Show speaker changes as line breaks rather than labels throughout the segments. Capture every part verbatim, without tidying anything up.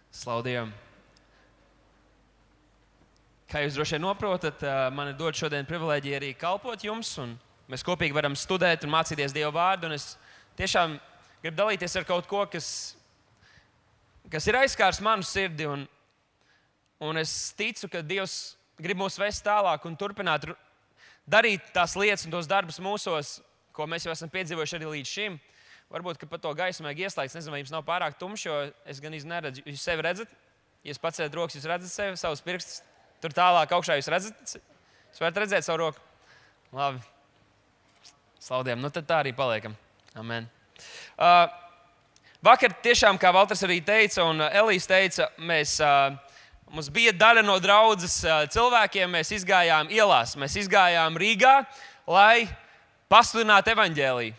Slavu Dievam! Kā jūs droši vien noprotat, man ir dot šodien privilēģija arī kalpot jums, un mēs kopīgi varam studēt un mācīties Dieva vārdu, un es tiešām gribu dalīties ar kaut ko, kas, kas ir aizskārs manu sirdi, un, un es ticu, ka Dievs grib mūs vest tālāk un turpināt darīt tās lietas un tos darbus mūsos, ko mēs jau esam piedzīvojuši arī līdz šim. Varbūt, ka pat to gaismu vajag ieslēgt. Es nezinu, vai jums nav pārāk tumšs, jo es gan īsti neredzu. Jūs sevi redzat? Ja jūs pacēlat rokas, jūs redzat sevi, savus pirkstus. Tur tālāk augšā jūs redzat? Jūs varat redzēt savu roku? Labi. Slavu Dievam. Nu tad tā arī paliekam. Amen. Uh, vakar tiešām, kā Valters arī teica un Elīs teica, mēs, uh, mums bija daļa no draudzes uh, cilvēkiem. Mēs izgājām ielās. Mēs izgājām Rīgā, lai pasludinātu evaņģēliju.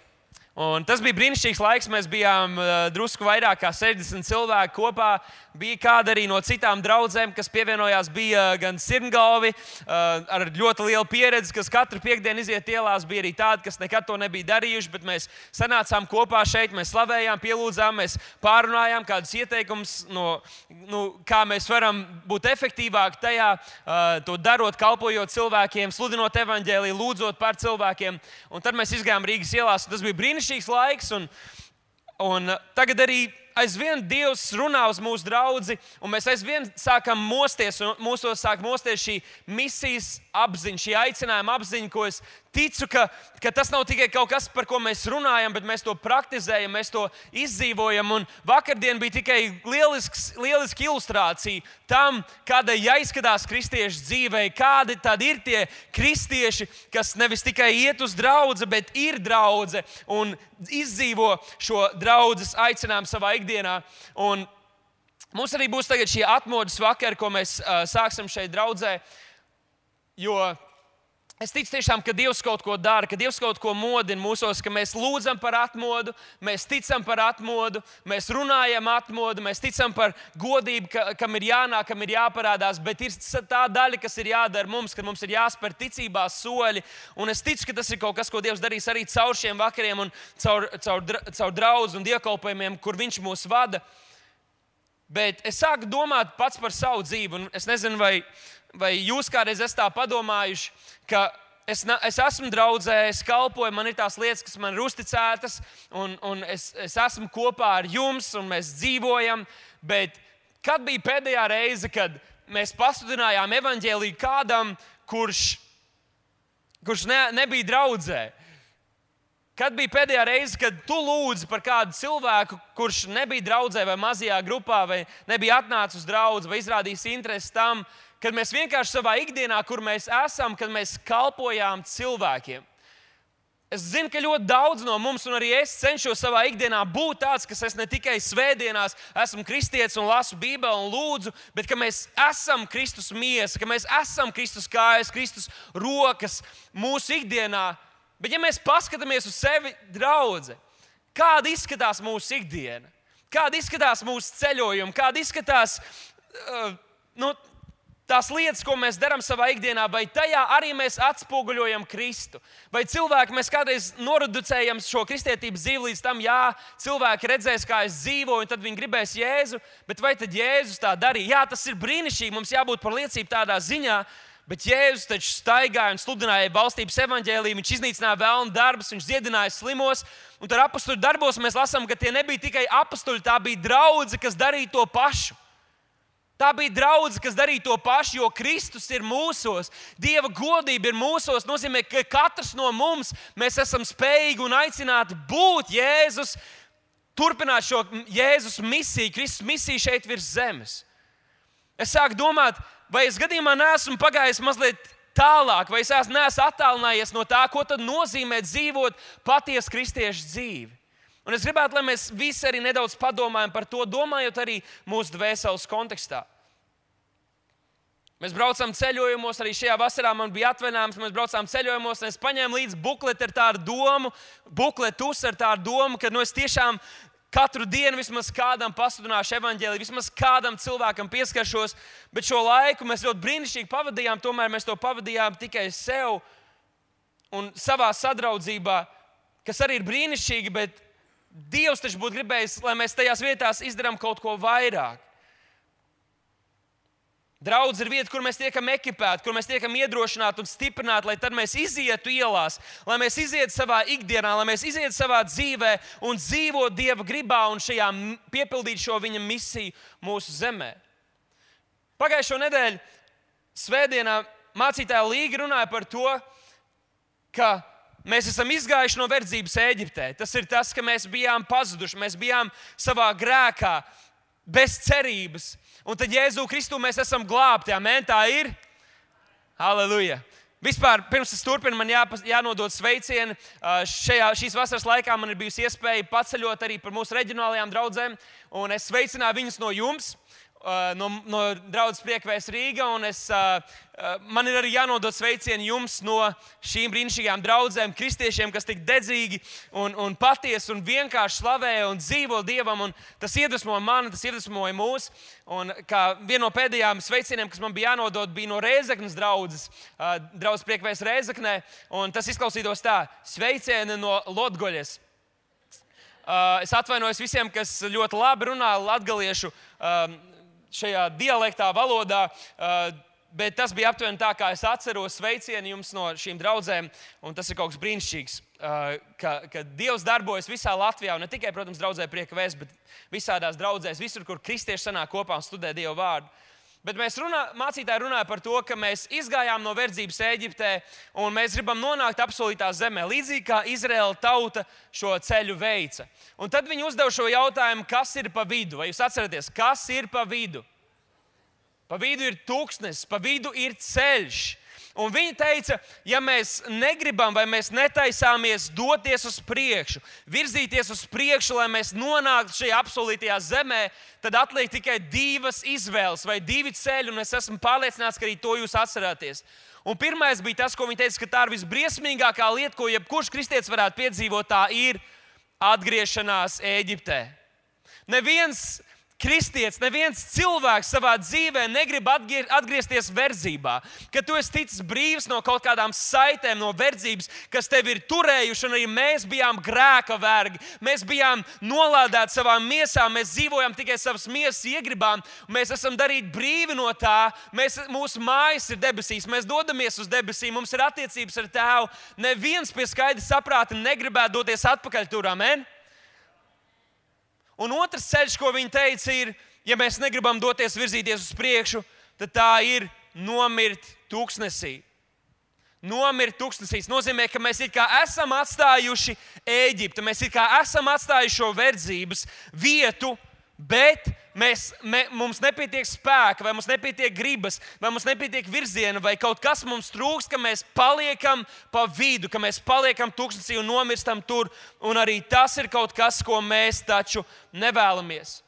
Un tas bija brīnišķīgs laiks. Mēs bijām uh, drusku vairāk kā sešdesmit cilvēki kopā. Bija kāda arī no citām draudzēm, kas pievienojās. Bija gan sirmgalvi uh, ar ļoti lielu pieredzi, kas katru piekdienu iziet ielās. Bija arī tādi, kas nekad to nebija darījuši, bet mēs sanācām kopā šeit, mēs slavējām, pielūdzām, mēs pārunājām kādus ieteikumus, no, nu, kā mēs varam būt efektīvāki tajā, uh, to darot, kalpojot cilvēkiem, sludinot evaņģēliju, lūdzot par cilvēkiem. Un tad mēs izgājām Rīgas ielās, un tas bija brīnišķīgs laiks, un, un tagad arī aizvien Dievs runā uz mūsu draudzi, un mēs aizvien sākam mosties, un mūsos sāk mosties šī misijas apziņa, šī aicinājuma apziņa, ko es ticu, ka, ka tas nav tikai kaut kas, par ko mēs runājam, bet mēs to praktizējam, mēs to izdzīvojam. Un vakardien bija tikai lielisks, lieliska ilustrācija tam, kādai jāizskatās kristiešu dzīvei, kādi tad ir tie kristieši, kas nevis tikai iet uz draudzi, bet ir draudze un izdzīvo šo draudzes aicinājumu savā ikdienā. Un mums arī būs tagad šie atmodas vakari, ko mēs uh, sāksim šeit draudzē, jo es ticu tiešām, ka Dievs kaut ko dara, ka Dievs kaut ko modina mūsos, ka mēs lūdzam par atmodu, mēs ticam par atmodu, mēs runājam atmodu, mēs ticam par godību, ka, kam ir jānāk, kam ir jāparādās, bet ir tā daļa, kas ir jādara mums, ka mums ir jāspēr ticībā soļi. Un es ticu, ka tas ir kaut kas, ko Dievs darīs arī caur šiem vakariem un caur, caur, caur draudz un dievkalpojumiem, kur Viņš mūs vada. Bet es sāku domāt pats par savu dzīvi, un es nezinu, vai Vai jūs kādreiz esat tā padomājuši, ka es, es esmu draudzē, es kalpoju, man ir tās lietas, kas man ir uzticētas, un, un es, es esmu kopā ar jums, un mēs dzīvojam, bet kad bija pēdējā reize, kad mēs pasludinājām evaņģēliju kādam, kurš, kurš ne, nebija draudzē? Kad bija pēdējā reize, kad tu lūdzi par kādu cilvēku, kurš nebija draudzē vai mazajā grupā, vai nebija atnācis uz draudzi, vai izrādījis interesi tam, kad mēs vienkārši savā ikdienā, kur mēs esam, kad mēs kalpojām cilvēkiem. Es zinu, ka ļoti daudz no mums, un arī es cenšos savā ikdienā būt tāds, kas es ne tikai svētdienās esmu kristietis un lasu Bībeli un lūdzu, bet ka mēs esam Kristus miesa, ka mēs esam Kristus kājas, Kristus rokas mūsu ikdienā. Bet ja mēs paskatāmies uz sevi draudze, kāda izskatās mūsu ikdiena, kāda izskatās mūsu ceļojumi, kāda izskatās uh, nu, tās lietas, ko mēs darām savā ikdienā, vai tajā arī mēs atspoguļojam Kristu? Vai cilvēki, mēs kādreiz noreducējam šo kristietības dzīvi līdz tam, jā, cilvēki redzēs, kā es dzīvoju, un tad viņi gribēs Jēzu, bet vai tad Jēzus tā darīja? Jā, tas ir brīnišķīgi, mums jābūt par liecību tādā ziņā, bet Jēzus taču staigāja un sludināja valstības evaņģēliju, viņš iznīcināja velna darbus, viņš dziedināja slimos, un tad apostoļu darbos mēs lasām, ka tie nebija tikai apostoļi, tā bija draudze, kas darīja to pašu. Tā bija draudze, kas darīja to pašu, jo Kristus ir mūsos. Dieva godība ir mūsos. Nozīmē, ka katrs no mums mēs esam spējīgi un aicināti būt Jēzus, turpināt šo Jēzus misiju, Kristus misiju šeit virs zemes. Es sāku domāt, vai es gadījumā neesmu pagājis mazliet tālāk, vai es neesmu attālinājies no tā, ko tad nozīmē dzīvot patiesu kristiešu dzīvi. Un es gribētu, lai mēs visi arī nedaudz padomājam par to, domājot arī mūsu dvēseles kontekstā. Mēs braucam ceļojumos, arī šajā vasarā man bija atvaļinājums, mēs braucām ceļojumos, un es paņēmu līdzi bukleti ar tādu domu, bukletus ar tādu domu, ka nu, es tiešām katru dienu vismaz kādam pasludināšu evaņģēliju, vismaz kādam cilvēkam pieskaršos, bet šo laiku mēs ļoti brīnišķīgi pavadījām, tomēr mēs to pavadījām tikai sev un savā sadraudzībā, kas arī ir brīnišķīgi, bet Dievs taču būtu gribējis, lai mēs tajās vietās izdarām kaut ko vairāk. Draudz ir vieta, kur mēs tiekam ekipēti, kur mēs tiekam iedrošināti un stiprināti, lai tad mēs izietu ielās, lai mēs izietu savā ikdienā, lai mēs izietu savā dzīvē un dzīvotu Dieva gribā un šajā piepildītu šo viņa misiju mūsu zemē. Pagājušo nedēļu svētdienā mācītāja Līga runāja par to, ka mēs esam izgājuši no verdzības Ēģiptē. Tas ir tas, ka mēs bijām pazuduši, mēs bijām savā grēkā, bez cerības. Un tad Jēzu Kristu mēs esam glābti. Amen, tā ir? Halleluja! Vispār, pirms es turpinu, man jā, jānodod sveicieni. Šajā, šīs vasaras laikā man ir bijusi iespēja paceļot arī par mūsu reģionālajām draudzēm. Un es sveicināju viņus no jums, no, no draudzes Priekvēs Rīga. Un es, man ir arī jānodod sveicieni jums no šīm brīnišķīgām draudzēm, kristiešiem, kas tik dedzīgi un, un patiesi un vienkārši slavē un dzīvo Dievam. Un tas iedvesmoja mani, tas iedvesmoja mūs. Un kā viena no pēdējām sveicieniem, kas man bija jānodod, bija no Rēzeknes draudzes, draudzes Priekvēs Rēzeknē. Un tas izklausītos tā: sveicieni no Lotgoļas. Es atvainojos visiem, kas ļoti labi runā latgaliešu šajā dialektā, valodā, bet tas bija aptuveni tā, kā es atceros. Sveicieni jums no šīm draudzēm, un tas ir kaut kas brīnišķīgs, ka, ka Dievs darbojas visā Latvijā, un ne tikai, protams, draudzē Prieka Vēsts, bet visādās draudzēs, visur, kur kristieši sanāk kopā un studē Dievu vārdu. Bet mēs runā, mācītāji runāja par to, ka mēs izgājām no verdzības Ēģiptē, un mēs gribam nonākt apsolītā zemē, līdzīgi kā Izraēla tauta šo ceļu veica. Un tad viņi uzdeva šo jautājumu, kas ir pa vidu? Vai jūs atceraties, kas ir pa vidu? Pa vidu ir tūkstnesis, pa vidu ir ceļš. Un viņi teica, ja mēs negribam vai mēs netaisāmies doties uz priekšu, virzīties uz priekšu, lai mēs nonāktu šajā apsolītajā zemē, tad atliek tikai divas izvēles vai divi ceļi, un es esmu pārliecināts, ka arī to jūs atcerāties. Un pirmais bija tas, ko viņi teica, ka tā ir visbriesmīgākā lieta, ko jebkurš kristietis varētu piedzīvot, tā ir atgriešanās Ēģiptē. Neviens kristietis, neviens cilvēks savā dzīvē negrib atgriezties verdzībā. Kad tu esi ticis brīvs no kaut kādām saitēm, no verdzības, kas tevi ir turējuši, un arī mēs bijām grēka vergi. Mēs bijām nolādēti savām miesām, mēs dzīvojam tikai savas miesas iegribām, mēs esam darīti brīvi no tā, mēs, mūsu mājas ir debesīs, mēs dodamies uz debesīm, mums ir attiecības ar Tēvu. Neviens pie skaidra saprāta negribētu doties atpakaļ tur, amen? Un otrs ceļš, ko viņi teica, ir, ja mēs negribam doties virzīties uz priekšu, tad tā ir nomirt tūkstnesī. Nomirt tūkstnesī nozīmē, ka mēs it kā esam atstājuši Ēģipti, mēs it kā esam atstājuši šo verdzības vietu, bet mēs, me, mums nepietiek spēka, vai mums nepietiek gribas, vai mums nepietiek virziena, vai kaut kas mums trūks, ka mēs paliekam pa vidu, ka mēs paliekam tūkstnesī un nomirstam tur. Un arī tas ir kaut kas, ko mēs taču nevēlamies.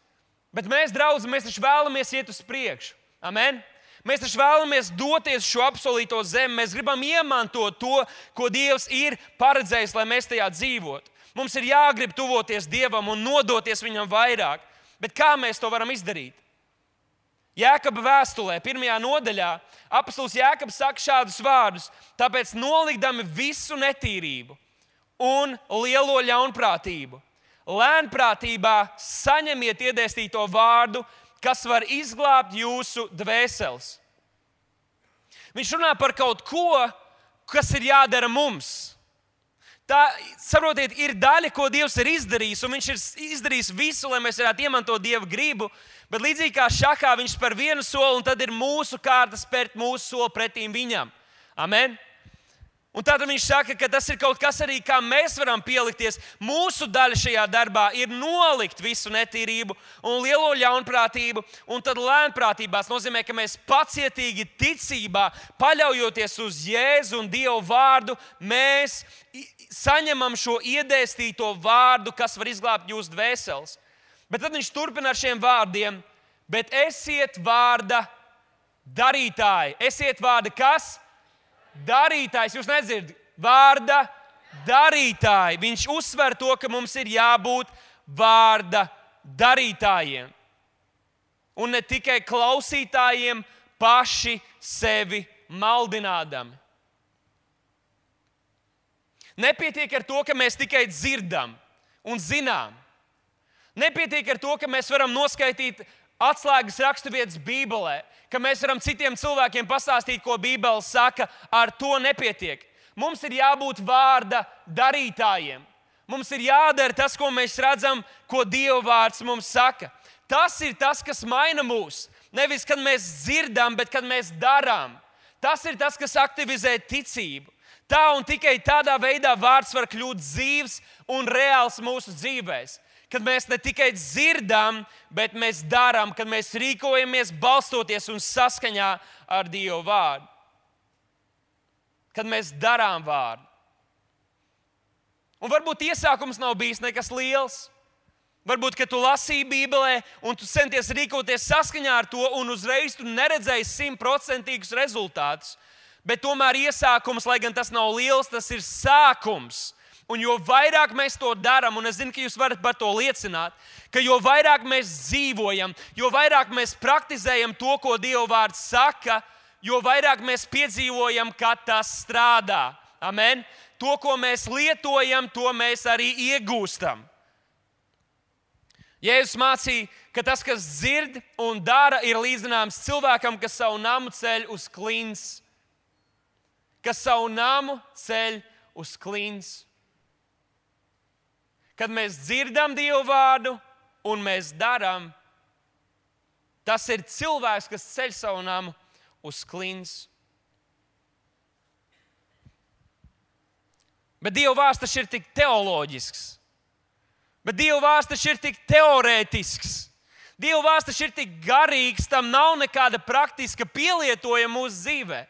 Bet mēs, draugi, mēs taču vēlamies iet uz priekšu. Amen? Mēs taču vēlamies doties šo apsolīto zemi. Mēs gribam iemantot to, ko Dievs ir paredzējis, lai mēs tajā dzīvotu. Mums ir jāgrib tuvoties Dievam un nodoties Viņam vairāk. Bet kā mēs to varam izdarīt? Jēkaba vēstulē, pirmajā nodaļā, apostols Jēkabs saka šādus vārdus: tāpēc nolikdami visu netīrību un lielo ļaunprātību, lēnprātībā saņemiet iedēstīto vārdu, kas var izglābt jūsu dvēseles. Viņš runā par kaut ko, kas ir jādara mums. Tā, saprotiet, ir daļa, ko Dievs ir izdarījis, un Viņš ir izdarījis visu, lai mēs varētu iemantot Dieva gribu, bet līdzīgi kā šahā, Viņš spēr vienu soli, un tad ir mūsu kārta spērt mūsu soli pretīm Viņam. Amen? Un tātad Viņš saka, ka tas ir kaut kas arī, kā mēs varam pielikties. Mūsu daļa šajā darbā ir nolikt visu netīrību un lielo ļaunprātību, un tad lēnprātībās nozīmē, ka mēs pacietīgi ticībā, paļaujoties uz Jēzu un Dievu vārdu, mēs saņemam šo iedēstīto vārdu, kas var izglābt jūsu dvēseles. Bet tad Viņš turpina ar šiem vārdiem: bet esiet vārda darītāji. Esiet vārda kas? Darītājs. Jūs nedzirdat? Vārda darītāji. Viņš uzsver to, ka mums ir jābūt vārda darītājiem. Un ne tikai klausītājiem, paši sevi maldinādami. Nepietiek ar to, ka mēs tikai dzirdam un zinām. Nepietiek ar to, ka mēs varam noskaitīt atslēgas raksturvietas Bībelē, ka mēs varam citiem cilvēkiem pastāstīt, ko Bībele saka, ar to nepietiek. Mums ir jābūt vārda darītājiem. Mums ir jādara tas, ko mēs redzam, ko Dieva vārds mums saka. Tas ir tas, kas maina mūs. Nevis, kad mēs dzirdam, bet kad mēs darām. Tas ir tas, kas aktivizē ticību. Tā un tikai tādā veidā vārds var kļūt dzīvs un reāls mūsu dzīvēs. Kad mēs ne tikai dzirdam, bet mēs darām, kad mēs rīkojamies balstoties un saskaņā ar Dieva vārdu. Kad mēs darām vārdu. Un varbūt iesākums nav bijis nekas liels. Varbūt, ka tu lasīji Bībelē un tu centies rīkoties saskaņā ar to un uzreiz tu neredzēji simtprocentīgus rezultātus. Bet tomēr iesākums, lai gan tas nav liels, tas ir sākums. Un jo vairāk mēs to darām, un es zinu, ka jūs varat par to liecināt, ka jo vairāk mēs dzīvojam, jo vairāk mēs praktizējam to, ko Dieva vārds saka, jo vairāk mēs piedzīvojam, ka tas strādā. Amen? To, ko mēs lietojam, to mēs arī iegūstam. Jēzus mācīja, ka tas, kas dzird un dara, ir līdzināms cilvēkam, kas savu namu ceļ uz klints. Kas savu namu ceļ uz klints. Kad mēs dzirdam Dieva vārdu un mēs darām, tas ir cilvēks, kas ceļ savu namu uz klints. Bet Dieva vārds taču ir tik teoloģisks. Bet Dieva vārds taču ir tik teorētisks. Dieva vārds taču ir tik garīgs, tam nav nekāda praktiska pielietojuma mūsu dzīvē.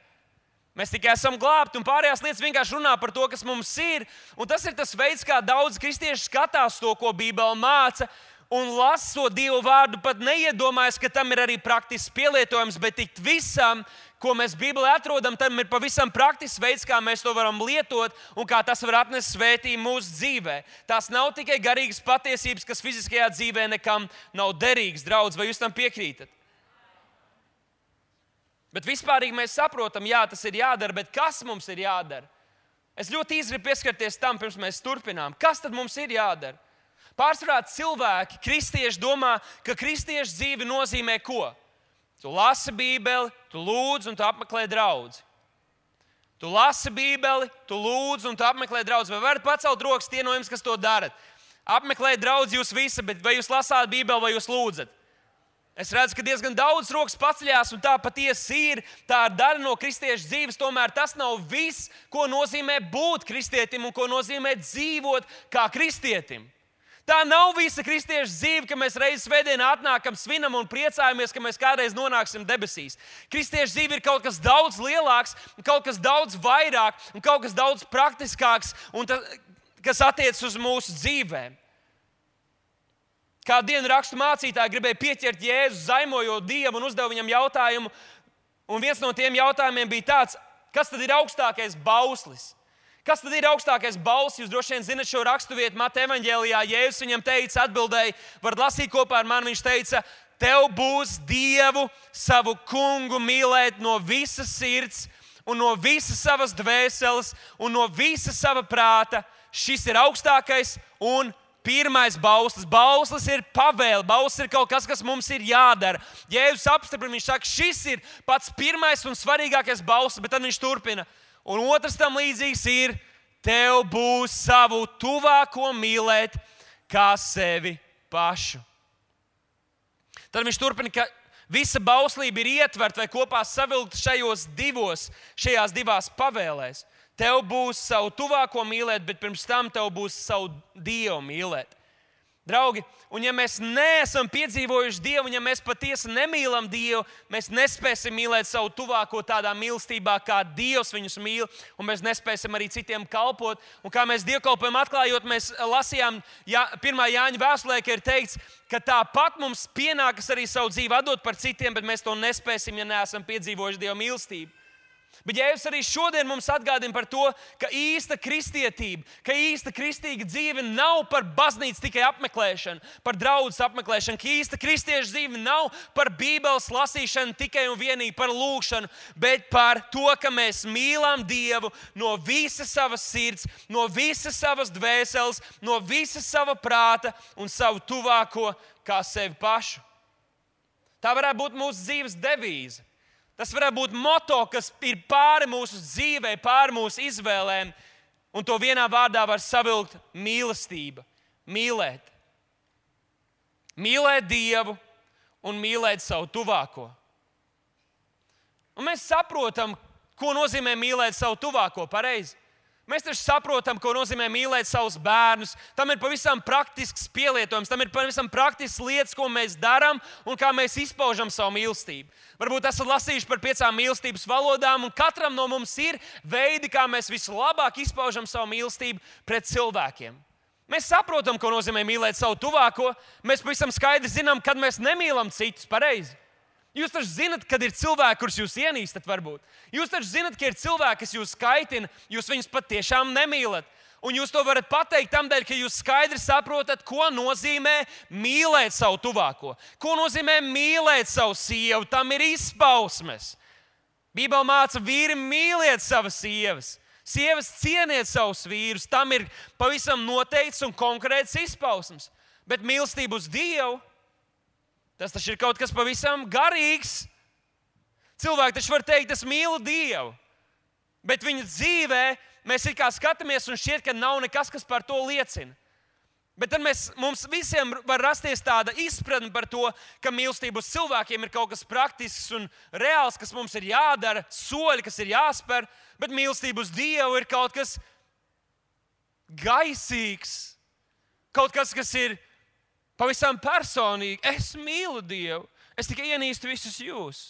Mēs tikai esam glābti, un pārējās lietas vienkārši runā par to, kas mums ir. Un tas ir tas veids, kā daudz kristieši skatās to, ko Bībele māca, un lasot Dieva vārdu pat neiedomājas, ka tam ir arī praktisks pielietojums, bet tik visam, ko mēs Bībelē atrodam, tam ir pavisam praktisks veids, kā mēs to varam lietot un kā tas var atnest svētību mūsu dzīvē. Tās nav tikai garīgas patiesības, kas fiziskajā dzīvē nekam nav derīgas, draudz, vai jūs tam piekrītat? Bet vispārīgi mēs saprotam, jā, tas ir jādara, bet kas mums ir jādara? Es ļoti īsi gribu pieskarties tam, pirms mēs turpinām. Kas tad mums ir jādara? Pārsvarā cilvēki, kristieši domā, ka kristiešu dzīve nozīmē ko? Tu lasi Bībeli, tu lūdz un tu apmeklē draudzi. Tu lasi Bībeli, tu lūdz un tu apmeklē draudzi. Vai varat pacelt rokas tie no jums, kas to darat? Apmeklē draudzi jūs visi, bet vai jūs lasāt Bībeli vai jūs lūdzat? Es redzu, ka diezgan daudz rokas paceļās, un tā patiesi ir. Tā ir daļa no kristiešu dzīves. Tomēr tas nav viss, ko nozīmē būt kristietim un ko nozīmē dzīvot kā kristietim. Tā nav visa kristiešu dzīve, ka mēs reizes svētdienā atnākam, svinam un priecājamies, ka mēs kādreiz nonāksim debesīs. Kristiešu dzīve ir kaut kas daudz lielāks, kaut kas daudz vairāk un kaut kas daudz praktiskāks, un tas, kas attiecas uz mūsu dzīvēm. Kādu dienu rakstu mācītāji gribēja pieķert Jēzu, zaimojot Dievu un uzdeva viņam jautājumu. Un viens no tiem jautājumiem bija tāds, kas tad ir augstākais bauslis? Kas tad ir augstākais bauslis? Jūs droši vien zinat šo raksturvietu Mateja evaņģēlijā. Jēzus viņam teica, atbildēja, varat lasīt kopā ar mani, viņš teica, tev būs Dievu, savu kungu mīlēt no visas sirds un no visas savas dvēseles un no visas sava prāta. Šis ir augstākais un pirmais bauslis. Bauslis ir pavēle. Bauslis ir kaut kas, kas mums ir jādara. Jēzus apstiprina, viņš saka, šis ir pats pirmais un svarīgākais bauslis, bet tad viņš turpina. Un otrs tam līdzīgs ir, tev būs savu tuvāko mīlēt kā sevi pašu. Tad viņš turpina, ka visa bauslība ir ietverta vai kopā savilkta šajos divos, šajās divās pavēlēs. Tev būs savu tuvāko mīlēt, bet pirms tam tev būs savu Dievu mīlēt. Draugi, un ja mēs neesam piedzīvojuši Dievu, un ja mēs patiesi nemīlam Dievu, mēs nespēsim mīlēt savu tuvāko tādā mīlestībā, kā Dievs viņus mīl, un mēs nespēsim arī citiem kalpot. Un kā mēs dievkalpojumu atklājot, mēs lasījām Jā, pirmā Jāņa vēstulē, ka ir teikts, ka tāpat mums pienākas arī savu dzīvi atdot par citiem, bet mēs to nespēsim, ja neesam piedzīvojuši Dieva mīlestību. Bet Jēzus arī šodien mums atgādina par to, ka īsta kristietība, ka īsta kristīga dzīve nav par baznīcas tikai apmeklēšanu, par draudzes apmeklēšanu, ka īsta kristieša dzīve nav par Bībeles lasīšanu tikai un vienīgi par lūgšanu, bet par to, ka mēs mīlam Dievu no visas savas sirds, no visas savas dvēseles, no visas sava prāta un savu tuvāko kā sevi pašu. Tā varētu būt mūsu dzīves devīze. Tas varētu būt moto, kas ir pāri mūsu dzīvei, pāri mūsu izvēlēm. Un to vienā vārdā var savilkt mīlestība. Mīlēt. Mīlēt Dievu un mīlēt savu tuvāko. Un mēs saprotam, ko nozīmē mīlēt savu tuvāko, pareizi. Mēs taču saprotam, ko nozīmē mīlēt savus bērnus. Tam ir pavisam praktisks pielietojums, tam ir pavisam praktisks lietas, ko mēs darām un kā mēs izpaužam savu mīlestību. Varbūt esat lasījuši par piecām mīlestības valodām, un katram no mums ir veidi, kā mēs vislabāk izpaužam savu mīlestību pret cilvēkiem. Mēs saprotam, ko nozīmē mīlēt savu tuvāko. Mēs pavisam skaidri zinām, kad mēs nemīlam citus, pareizi. Jūs taču zinat, kad ir cilvēki, kurus jūs ienīstat, varbūt. Jūs taču zinat, ka ir cilvēki, kas jūs kaitina, jūs viņus patiešām nemīlat. Un jūs to varat pateikt tādēļ, ka jūs skaidri saprotat, ko nozīmē mīlēt savu tuvāko. Ko nozīmē mīlēt savu sievu, tam ir izpausmes. Bībele māca, vīri mīliet savas sievas. Sievas cieniet savus vīrus, tam ir pavisam noteikts un konkrēts izpausmes. Bet mīlestība uz Dievu, tas taču ir kaut kas pavisam garīgs. Cilvēki taču var teikt, es mīlu Dievu, bet viņa dzīvē mēs it kā skatāmies un šķiet, ka nav nekas, kas par to liecina. Bet tad mēs, mums visiem var rasties tāda izpratne par to, ka mīlestība uz cilvēkiem ir kaut kas praktisks un reāls, kas mums ir jādara, soļi, kas ir jāspēr, bet mīlestība uz Dievu ir kaut kas gaisīgs, kaut kas, kas ir pavisam personīgi. Es mīlu Dievu, es tikai ienīstu visus jūs.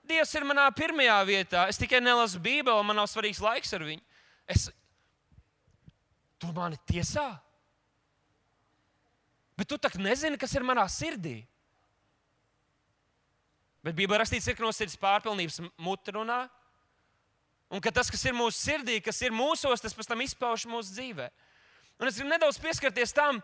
Dievs ir manā pirmajā vietā, es tikai nelasu Bībeli, man nav svarīgs laiks ar viņu. Es... Tu mani tiesā? Bet tu tak nezini, kas ir manā sirdī. Bet Bībelē rakstīts, ir, ka no sirds pārpilnības mute runā, un ka tas, kas ir mūsu sirdī, kas ir mūsos, tas pēc tam izpauž mūsu dzīvē. Un es gribu nedaudz pieskarties tam,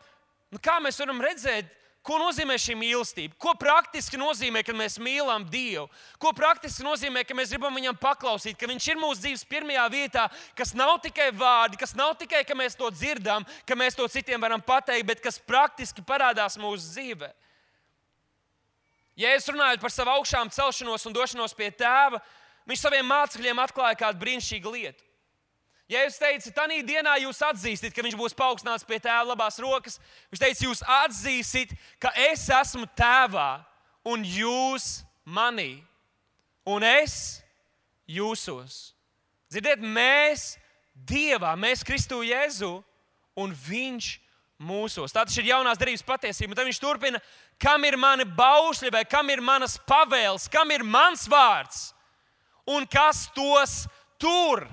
kā mēs varam redzēt, ko nozīmē šī mīlestība? Ko praktiski nozīmē, kad mēs mīlam Dievu? Ko praktiski nozīmē, ka mēs gribam viņam paklausīt, ka viņš ir mūsu dzīves pirmajā vietā, kas nav tikai vārdi, kas nav tikai, ka mēs to dzirdam, ka mēs to citiem varam pateikt, bet kas praktiski parādās mūsu dzīvē? Jēzus runājot par savu augšām celšanos un došanos pie Tēva, viņš saviem mācekļiem atklāja kādu brīnišķīgu lietu. Jēzus teica, tanī dienā jūs atzīstat, ka viņš būs paaugstināts pie Tēva labās rokas. Viņš teica, jūs atzīsit, ka es esmu Tēvā un jūs manī. Un es jūsos. Dzirdiet, mēs Dievā, mēs Kristu Jēzu un viņš mūsos. Tā tas ir jaunās derības patiesība. Un tad viņš turpina, kam ir mani baušļi vai kam ir manas pavēles, kam ir mans vārds un kas tos tur.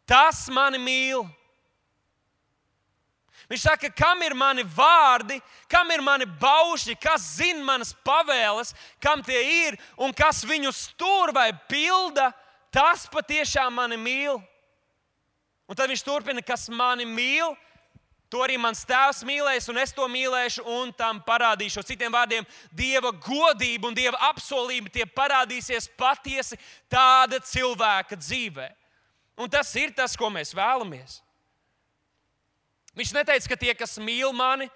Tas mani mīl. Viņš saka, kam ir mani vārdi, kam ir mani baušļi, kas zina manas pavēles, kam tie ir un kas viņus tur vai pilda, tas patiešām mani mīl. Un tad viņš turpina, kas mani mīl, to arī mans Tēvs mīlēs un es to mīlēšu un tam parādīšu. Citiem vārdiem, Dieva godība un Dieva apsolība tie parādīsies patiesi tāda cilvēka dzīvē. Un tas ir tas, ko mēs vēlamies. Viņš neteica, ka tie, kas mīl mani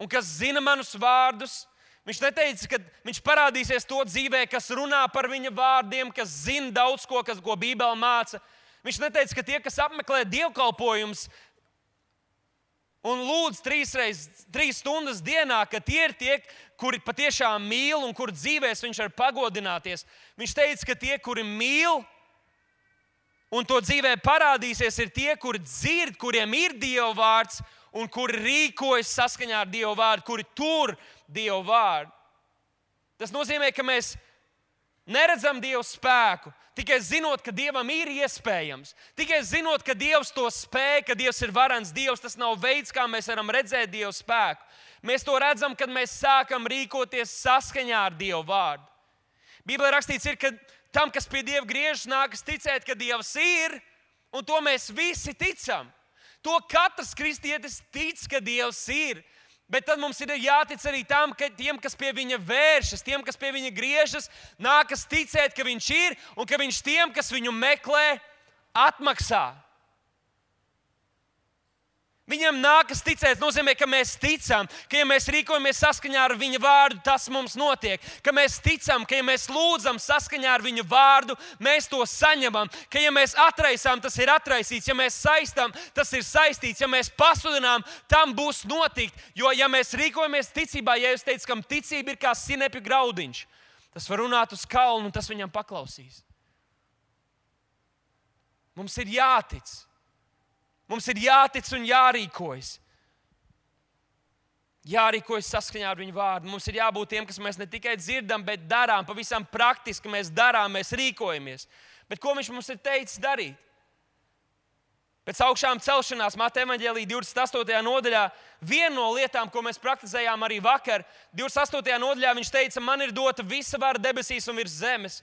un kas zina manus vārdus, viņš neteica, ka viņš parādīsies to dzīvē, kas runā par viņa vārdiem, kas zina daudz ko, kas, ko Bībele māca. Viņš neteica, ka tie, kas apmeklē dievkalpojumus un lūdz trīs, reiz, trīs stundas dienā, ka tie ir tie, kuri patiešām mīl un kur dzīvēs viņš var pagodināties. Viņš teica, ka tie, kuri mīl, un to dzīvē parādīsies, ir tie, kuri dzird, kuriem ir Dieva vārds un kuri rīkojas saskaņā ar Dieva vārdu, kuri tur Dieva vārdu. Tas nozīmē, ka mēs neredzam Dieva spēku, tikai zinot, ka Dievam ir iespējams. Tikai zinot, ka Dievs to spēj, ka Dievs ir varens Dievs, tas nav veids, kā mēs varam redzēt Dieva spēku. Mēs to redzam, kad mēs sākam rīkoties saskaņā ar Dieva vārdu. Bībelē rakstīts ir, ka tam, kas pie Dieva griežas, nākas ticēt, ka Dievs ir, un to mēs visi ticam. To katrs kristietis tic, ka Dievs ir. Bet tad mums ir jātic arī tam, ka tiem, kas pie viņa vēršas, tiem, kas pie viņa griežas, nākas ticēt, ka viņš ir, un ka viņš tiem, kas viņu meklē, atmaksā. Viņam nākas ticēt, nozīmē, ka mēs ticam, ka ja mēs rīkojamies saskaņā ar viņa vārdu, tas mums notiek. Ka mēs ticam, ka ja mēs lūdzam saskaņā ar viņa vārdu, mēs to saņemam. Ka ja mēs atraisām, tas ir atraisīts. Ja mēs saistām, tas ir saistīts. Ja mēs pasludinām, tam būs notikt. Jo ja mēs rīkojamies ticībā, ja jūs teicat, kam ticība ir kā sinepju graudiņš, tas var runāt uz kalnu un tas viņam paklausīs. Mums ir jātic. Mums ir jātic un jārīkojas. Jārīkojas saskaņā ar viņu vārdu. Mums ir jābūt tiem, kas mēs ne tikai dzirdam, bet darām. Pavisam praktiski mēs darām, mēs rīkojamies. Bet ko viņš mums ir teicis darīt? Pēc augšām celšanās, Mateja evaņģēlija divdesmit astotajā nodaļā, viena no lietām, ko mēs praktizējām arī vakar, divdesmit astotajā nodaļā viņš teica, man ir dota visa vara debesīs un virs zemes.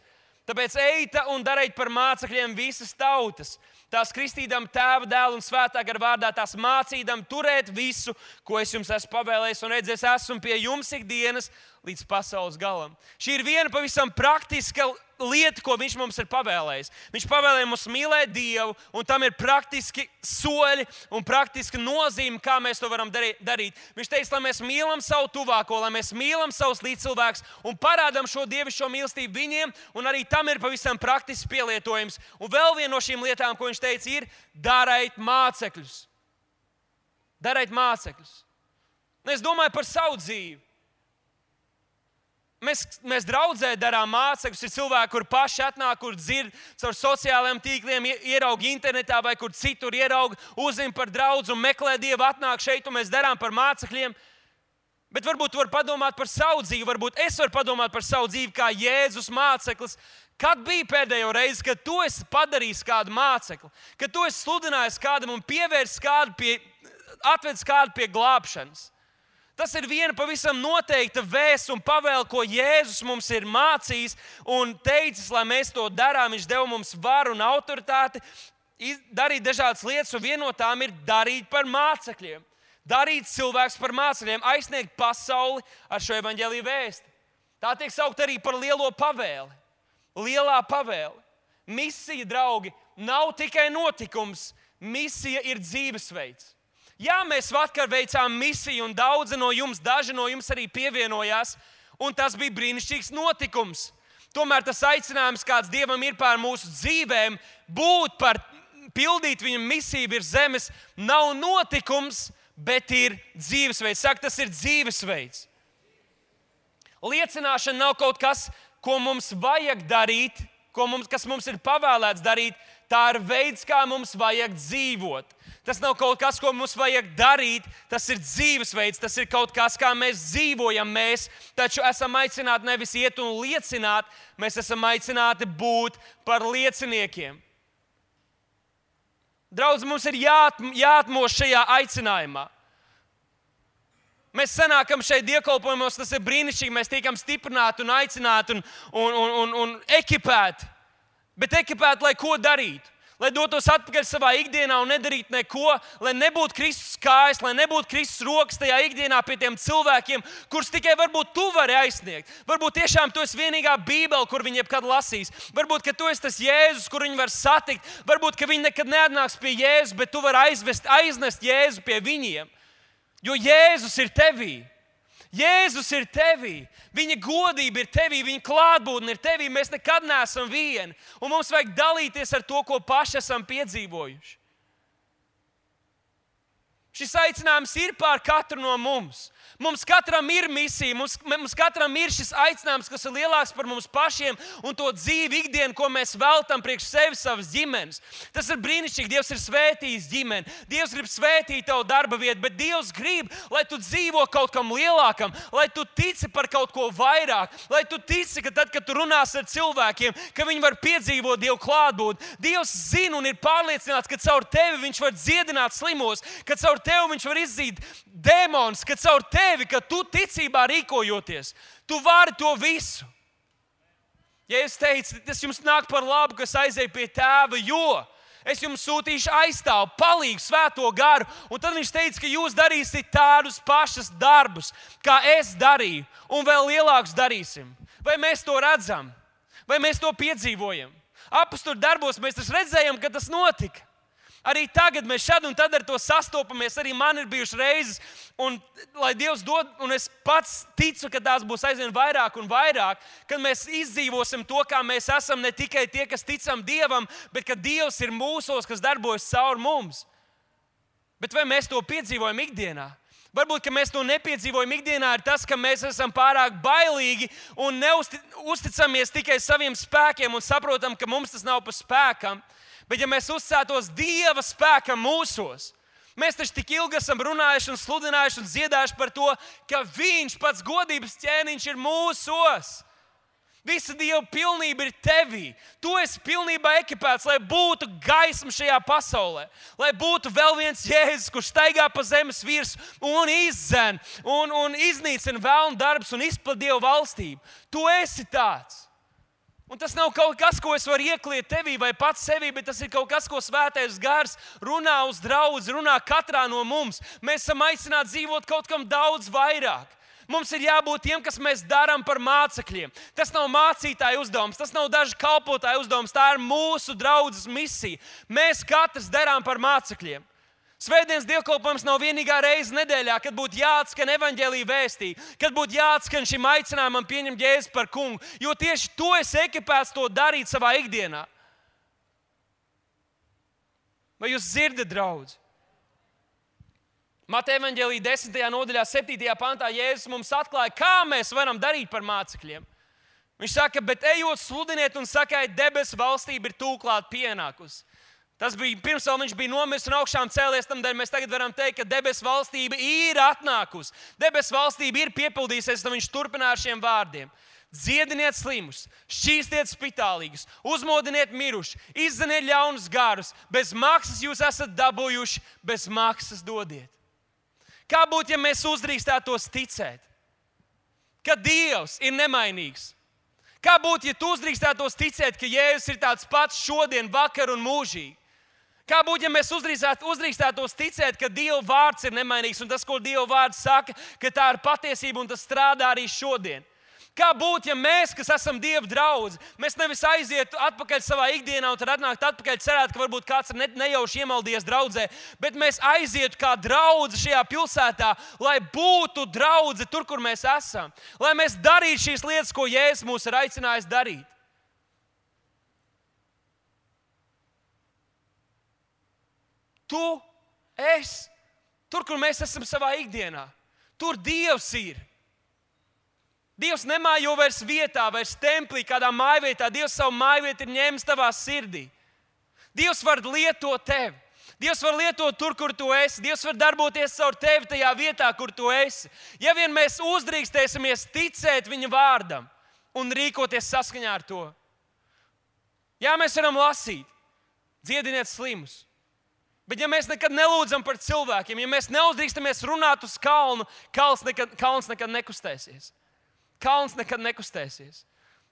Tāpēc ejiet un dariet par mācekļiem visas tautas. Tās kristīdam Tēva, Dēla un Svētā gara vārdā, tās mācīdam turēt visu, ko es jums esmu pavēlējis, un redzēs, esmu pie jums ikdienas līdz pasaules galam. Šī ir viena pavisam praktiska lieta, ko viņš mums ir pavēlējis. Viņš pavēlēja mums mīlēt Dievu, un tam ir praktiski soļi un praktiska nozīme, kā mēs to varam darīt. Viņš teica, lai mēs mīlam savu tuvāko, lai mēs mīlam savus līdzcilvēkus un parādām šo dievišķo mīlestību viņiem, un arī tam ir pavisam praktisks pielietojums. Un vēl viena no šīm lietām, ko viņš teica, ir darīt mācekļus. Darīt mācekļus. Un es domāju par savu dzīvi. Mēs, mēs draudzē darām mācekļus. Ir cilvēki, kur paši atnāk, kur dzird caur sociālajiem tīkliem, ieraug internetā vai kur citur ieraug, uzzina par draudzi un meklē Dievu, atnāk šeit un mēs darām par mācekļiem. Bet varbūt tu vari padomāt par savu dzīvi, varbūt es varu padomāt par savu dzīvi kā Jēzus māceklis. Kad bija pēdējo reizi, kad tu esi padarījis kādu mācekli, kad tu esi sludinājis kādam un pievērsis kādu pie, atvedis kādu pie glābšanas? Tas ir viena pavisam noteikta vēsts un pavēle, ko Jēzus mums ir mācījis un teicis, lai mēs to darām. Viņš deva mums varu un autoritāti darīt dažādas lietas, un viena no tām ir darīt par mācekļiem. Darīt cilvēkus par mācekļiem, aizsniegt pasauli ar šo evaņģēliju vēsti. Tā tiek saukt arī par lielo pavēli. Lielā pavēle. Misija, draugi, nav tikai notikums. Misija ir dzīvesveids. Jā, mēs vakar veicām misiju, un daudzi no jums, daži no jums arī pievienojās, un tas bija brīnišķīgs notikums. Tomēr tas aicinājums, kāds Dievam ir pār mūsu dzīvēm, būt par, pildīt viņa misiju virs zemes, nav notikums, bet ir dzīvesveids. Saka, tas ir dzīvesveids. Liecināšana nav kaut kas, ko mums vajag darīt, ko mums, kas mums ir pavēlēts darīt. Tā ir veids, kā mums vajag dzīvot. Tas nav kaut kas, ko mums vajag darīt. Tas ir dzīvesveids, tas ir kaut kas, kā mēs dzīvojam. Mēs taču esam aicināti nevis iet un liecināt, mēs esam aicināti būt par lieciniekiem. Draudz, mums ir jāt, jāatmos šajā aicinājumā. Mēs sanākam šeit dievkalpojumos, tas ir brīnišķīgi. Mēs tiekam stiprināti un aicināti un, un, un, un, un ekipēti. Bet ekipēt, lai ko darītu? Lai dotos atpakaļ savā ikdienā un nedarītu neko, lai nebūtu Kristus kājas, lai nebūtu Kristus rokas tajā ikdienā pie tiem cilvēkiem, kurus tikai varbūt tu vari aizsniegt. Varbūt tiešām tu esi vienīgā Bībele, kur viņi jebkad lasīs. Varbūt, ka tu esi tas Jēzus, kur viņi var satikt. Varbūt, ka viņi nekad neatnāks pie Jēzus, bet tu vari aizvest, aiznest Jēzu pie viņiem. Jo Jēzus ir tevī. Jēzus ir tevī, viņa godība ir tevī, viņa klātbūtne ir tevī. Mēs nekad neesam vieni, un mums vajag dalīties ar to, ko paši esam piedzīvojuši. Šis aicinājums ir pār katru no mums. Mums katram ir misija, mums, mums katram ir šis aicinājums, kas ir lielāks par mums pašiem un to dzīvi ikdienu, ko mēs veltam priekš sevis, savas ģimenes. Tas ir brīnišķīgi. Dievs ir svētījis ģimeni. Dievs grib svētīt tavu darba vietu, bet Dievs grib, lai tu dzīvo kaut kam lielākam, lai tu tici par kaut ko vairāk, lai tu tici, ka tad, kad tu runās ar cilvēkiem, ka viņi var piedzīvot Dievu klātbūtni. Dievs zina un ir pārliecināts, ka caur tevi viņš var dziedināt slimos, ka caur tevi viņš var izzīt dēmonus, ka caur tevi Tevi, ka tu ticībā rīkojoties, tu vari to visu. Ja es teicu, tas jums nāk par labu, kas aiziet pie Tēva, jo es jums sūtīšu aizstāvu, palīgu, svēto garu, un tad viņš teica, ka jūs darīsiet tādus pašus darbus, kā es darīju, un vēl lielākus darīsim. Vai mēs to redzam? Vai mēs to piedzīvojam? Apostļu darbos mēs taču redzējām, ka tas notika. Arī tagad mēs šad un tad ar to sastopamies. Arī man ir bijušas reizes, un lai Dievs dod, un es pats ticu, ka tās būs aizvien vairāk un vairāk, kad mēs izdzīvosim to, kā mēs esam ne tikai tie, kas ticam Dievam, bet ka Dievs ir mūsos, kas darbojas caur mums. Bet vai mēs to piedzīvojam ikdienā? Varbūt, ka mēs to nepiedzīvojam ikdienā, ir tas, ka mēs esam pārāk bailīgi un neusticamies tikai saviem spēkiem un saprotam, ka mums tas nav pa spēkam. Bet ja mēs uzticētos Dieva spēkam mūsos, mēs taču tik ilgi esam runājuši un sludinājuši un dziedājuši par to, ka Viņš pats godības ķēniņš ir mūsos. Visa Dieva pilnība ir tevī. Tu esi pilnībā ekipēts, lai būtu gaisma šajā pasaulē. Lai būtu vēl viens Jēzus, kurš staigā pa zemes virsmu un izdzen un, un iznīcina vēlnu darbus un izplat Dieva valstību. Tu esi tāds. Un tas nav kaut kas, ko es varu iekliet tevī vai pats sevī, bet tas ir kaut kas, ko Svētais Gars runā uz draudzi, runā katrā no mums. Mēs esam aicināti dzīvot kaut kam daudz vairāk. Mums ir jābūt tiem, kas mēs darām par mācekļiem. Tas nav mācītāja uzdevums, tas nav dažu kalpotāju uzdevums, tā ir mūsu draudzes misija. Mēs katrs darām par mācekļiem. Svētdienas dievkalpojums nav vienīgā reize nedēļā, kad būtu jāatskan evaņģēlija vēstī, kad būtu jāatskan šim aicinājumam pieņemt Jēzu par kungu, jo tieši tu esi ekipēts to darīt savā ikdienā. Vai jūs dzirdat, draudzi? Mateja evaņģēlija desmitajā nodaļā, septītajā pantā Jēzus mums atklāja, kā mēs varam darīt par mācekļiem. Viņš saka, bet ejot sludiniet un sakiet, debesu valstība ir tūklāt pienākusi. Tas bija pirms vēl viņš bija nomiris un augšām cēlies, tādēļ mēs tagad varam teikt, ka debesu valstība ir atnākusi. Debesu valstība ir piepildījusies, un viņš turpināja ar šiem vārdiem. Dziediniet slimus, šķīstiet spitālīgus, uzmodiniet mirušus, izdzeniet ļaunus garus. Bez maksas jūs esat dabūjuši, bez maksas dodiet. Kā būtu, ja mēs uzdrīkstētos ticēt, ka Dievs ir nemainīgs? Kā būtu, ja tu uzdrīkstētos ticēt, ka Jēzus ir tāds pats šodien, vakar un mūžīgi? Kā būtu, ja mēs uzdrīkstētos ticēt, ka Dieva vārds ir nemainīgs un tas, ko Dieva vārds saka, ka tā ir patiesība un tas strādā arī šodien? Kā būtu, ja mēs, kas esam Dieva draudzi, mēs nevis aizietu atpakaļ savā ikdienā un tad atnākt atpakaļ cerēt, ka varbūt kāds ir ne, nejauši iemaldījies draudzē, bet mēs aizietu kā draudzi šajā pilsētā, lai būtu draudzi tur, kur mēs esam. Lai mēs darītu šīs lietas, ko Jēzus mūs ir aicinājis darīt. Tu, es, tur, kur mēs esam savā ikdienā, tur Dievs ir. Dievs nemājo vairs vietā, vairs templī, kādā mājvietā. Dievs savu mājvietu ir ņēmis tavā sirdī. Dievs var lietot tevi. Dievs var lietot tur, kur tu esi. Dievs var darboties caur tevi tajā vietā, kur tu esi. Ja vien mēs uzdrīkstēsimies ticēt viņa vārdam un rīkoties saskaņā ar to. Jā, mēs varam lasīt, dziediniet slimus. Bet ja mēs nekad nelūdzam par cilvēkiem, ja mēs neuzdrīkstamies runāt uz kalnu, kalns nekad, kalns nekad nekustēsies. Kalns nekad nekustēsies.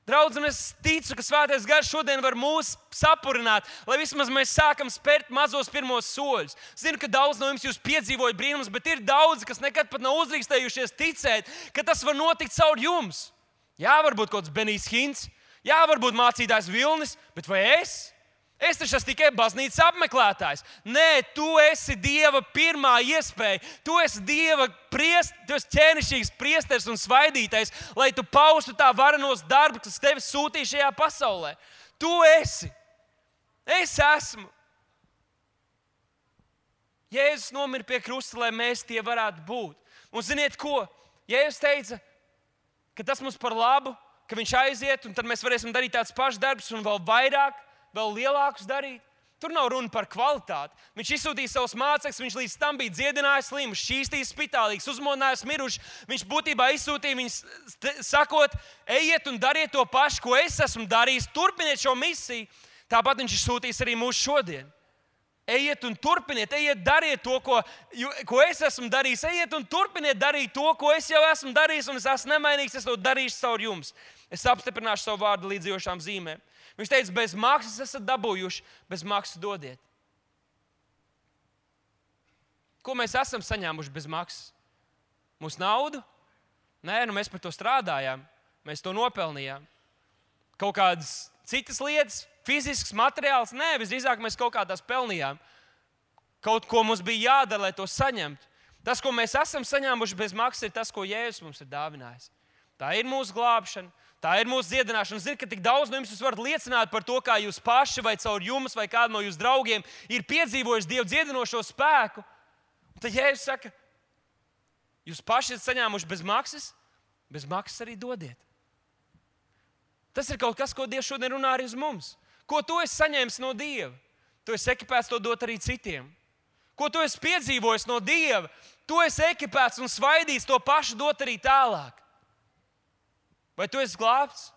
Draudz, un es ticu, ka Svētais Gars šodien var mūs sapurināt, lai vismaz mēs sākam spērt mazos pirmos soļus. Zinu, ka daudz no jums jūs piedzīvojat brīnumus, bet ir daudzi, kas nekad pat nav uzdrīkstējušies ticēt, ka tas var notikt caur jums. Jā, varbūt kaut kāds Benijs Hints, jā, varbūt mācītājs Vilnis, bet vai es? Es taču esmu tikai baznīcas apmeklētājs. Nē, tu esi Dieva pirmā iespēja. Tu esi Dieva priest, tu esi ķēnišķīgs priesteris un svaidītais, lai tu paustu tā varenos darbu, kas tevi sūtīja šajā pasaulē. Tu esi. Es esmu. Jēzus nomira pie krusta, lai mēs tie varētu būt. Un ziniet ko? Jēzus teica, ka tas mums par labu, ka viņš aiziet, un tad mēs varēsim darīt tāds pašs darbs un vēl vairāk, vēl lielākus darīt. Tur nav runa par kvalitāti. Viņš izsūtīja savus mācekļus, viņš līdz tam bija dziedinājis slimus, šķīstījis spitālīgus, uzmodinājis mirušus. Viņš būtībā izsūtīja viņus sakot, ejiet un dariet to pašu, ko es esmu darījis, turpiniet šo misiju. Tāpat viņš izsūtīs arī mūs šodien. Ejiet un turpiniet, ejiet dariet to, ko, ko es esmu darījis. Ejiet un turpiniet darīt to, ko es jau esmu darījis, un es esmu nemainīgs, es to darīšu caur jums. Es apstiprināšu savu vārdu līdzjošām zīmēm. Viņš teica, bez maksas esat dabūjuši, bez maksas dodiet. Ko mēs esam saņēmuši bez maksas? Mūsu naudu? Nē, nu mēs par to strādājām. Mēs to nopelnījām. Kaut kādas citas lietas, fizisks materiāls? Nē, visdrīzāk mēs kaut kā tās pelnījām. Kaut ko mums bija jādara, lai to saņemtu. Tas, ko mēs esam saņēmuši bez maksas, ir tas, ko Jēzus mums ir dāvinājis. Tā ir mūsu glābšana, tā ir mūsu dziedināšana. Zinu, ka tik daudz no jums jūs varat liecināt par to, kā jūs paši vai caur jums vai kādu no jūsu draugiem ir piedzīvojuši Dievu dziedinošo spēku. Un tad Jēzus saka, jūs paši esat saņēmuši bez maksas, bez maksas arī dodiet. Tas ir kaut kas, ko Dievs šodien runā arī uz mums. Ko tu esi saņēmis no Dieva? Tu esi ekipēts to dot arī citiem. Ko tu esi piedzīvojis no Dieva? Tu esi ekipēts un svaidīts to pašu dot arī tālāk. Vai tu esi glābts?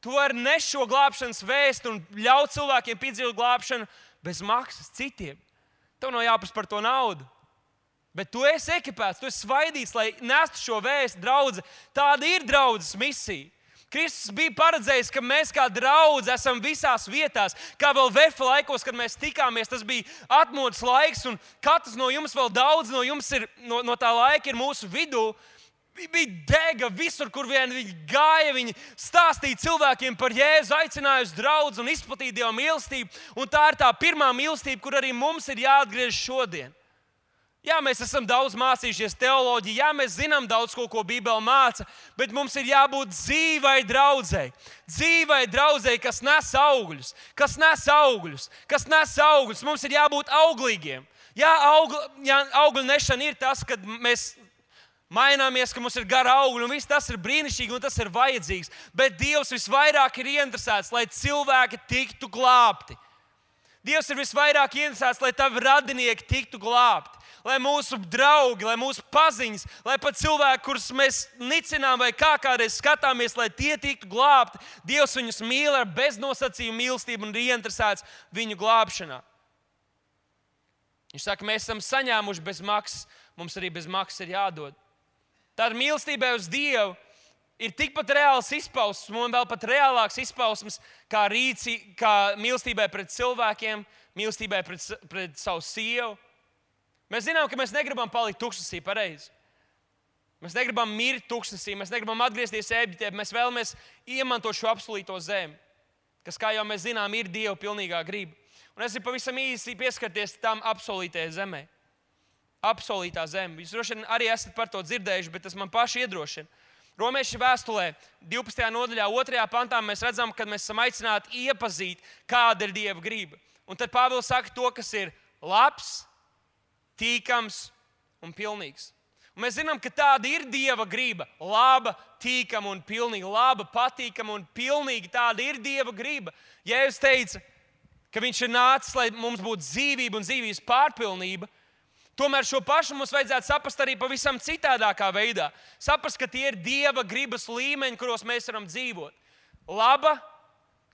Tu vari nest šo glābšanas vēstu un ļaut cilvēkiem piedzīvot glābšanu bez maksas citiem. Tev nav jāprasa par to naudu. Bet tu esi ekipēts, tu esi svaidīts, lai nestu šo vēstu draudze. Tāda ir draudzes misija. Kristus bija paredzējis, ka mēs kā draudze esam visās vietās. Kā vēl Vefa laikos, kad mēs tikāmies, tas bija atmodas laiks, un katrs no jums, vēl daudz no jums ir, no, no tā laika ir mūsu vidū. Bija dega visur, kur vien viņi gāja, viņi stāstīja cilvēkiem par Jēzu, aicināja uz draudzi un izplatīja Dieva mīlestību. Un tā ir tā pirmā mīlestība, kur arī mums ir jāatgriež šodien. Jā, mēs esam daudz mācījušies teoloģiju, jā, mēs zinām daudz ko, ko Bībele māca, bet mums ir jābūt dzīvai draudzei. Dzīvai draudzei, kas nes augļus, kas nes augļus, kas nes augļus. Mums ir jābūt auglīgiem. Jā, augl, jā, augļu nešana ir tas, kad mēs maināmies, ka mums ir gara augļi, un viss tas ir brīnišķīgi, un tas ir vajadzīgs. Bet Dievs visvairāk ir ieinteresēts, lai cilvēki tiktu glābti. Dievs ir visvairāk ieinteresēts, lai tavi radinieki tiktu glābti. Lai mūsu draugi, lai mūsu paziņas, lai pat cilvēki, kurus mēs nicinām vai kā kādreiz skatāmies, lai tie tiktu glābti, Dievs viņus mīl ar beznosacījumu mīlestību un ir ieinteresēts viņu glābšanā. Viņš saka, mēs esam saņēmuši bez maksas, mums arī bez maksas ir jādod. Tāda mīlestībai uz Dievu ir tikpat reāls izpausmes, un vēl pat reālāks izpausmes kā, rīci, kā mīlestībai pret cilvēkiem, mīlestībai pret, pret savu sievu. Mēs zinām, ka mēs negribam palikt tuksnesī, pareizi. Mēs negribam mirt tuksnesī, mēs negribam atgriezties Ēģiptē, mēs vēlamies iemantot šo apsolīto zemi, kas, kā jau mēs zinām, ir Dieva pilnīgā griba. Un es gribu pavisam īsi pieskarties tam apsolītajai zemē. Apsolītā zeme. Jūs droši vien arī esat par to dzirdējuši, bet tas man paši iedrošina. Romiešu vēstulē, divpadsmitajā nodaļā, otrajā pantā mēs redzam, ka mēs esam aicināti iepazīt, kāda ir Dieva griba. Un tad Pāvils saka to, kas ir labs, tīkams un pilnīgs. Un mēs zinām, ka tāda ir Dieva griba. Laba, tīkama un pilnīga. Laba, patīkama un pilnīga. Tāda ir Dieva griba. Jēzus teica, ka viņš ir nācis, lai mums būtu dzīvība un dzīvības pārpilnība. Tomēr šo pašu mums vajadzētu saprast arī pavisam citādākā veidā. Saprast, ka tie ir Dieva gribas līmeņi, kuros mēs varam dzīvot. Laba,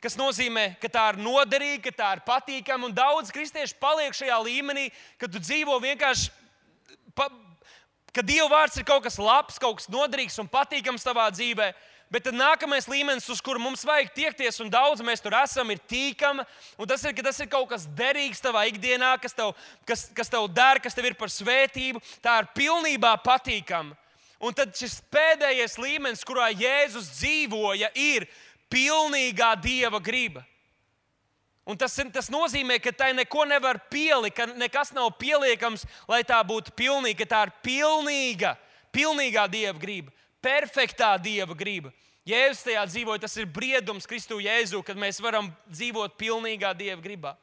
kas nozīmē, ka tā ir noderīga, ka tā ir patīkama, un daudz kristieši paliek šajā līmenī, kad tu dzīvo vienkārši, pa, ka Dieva vārds ir kaut kas labs, kaut kas noderīgs un patīkams tavā dzīvē, bet tad nākamais līmenis, uz kuru mums vajag tiekties, un daudz mēs tur esam, ir tīkama, un tas ir, ka tas ir kaut kas derīgs tavā ikdienā, kas tev, kas, kas tev der, kas tev ir par svētību, tā ir pilnībā patīkama. Un tad šis pēdējais līmenis, kurā Jēzus dzīvoja, ir pilnīgā Dieva griba. Un tas, tas nozīmē, ka tai neko nevar pielikt, ka nekas nav pieliekams, lai tā būtu pilnīga, ka tā ir pilnīga, pilnīgā Dieva griba, perfektā Dieva griba. Jēzus tajā dzīvoja, tas ir briedums Kristu Jēzu, kad mēs varam dzīvot pilnīgā Dieva gribā.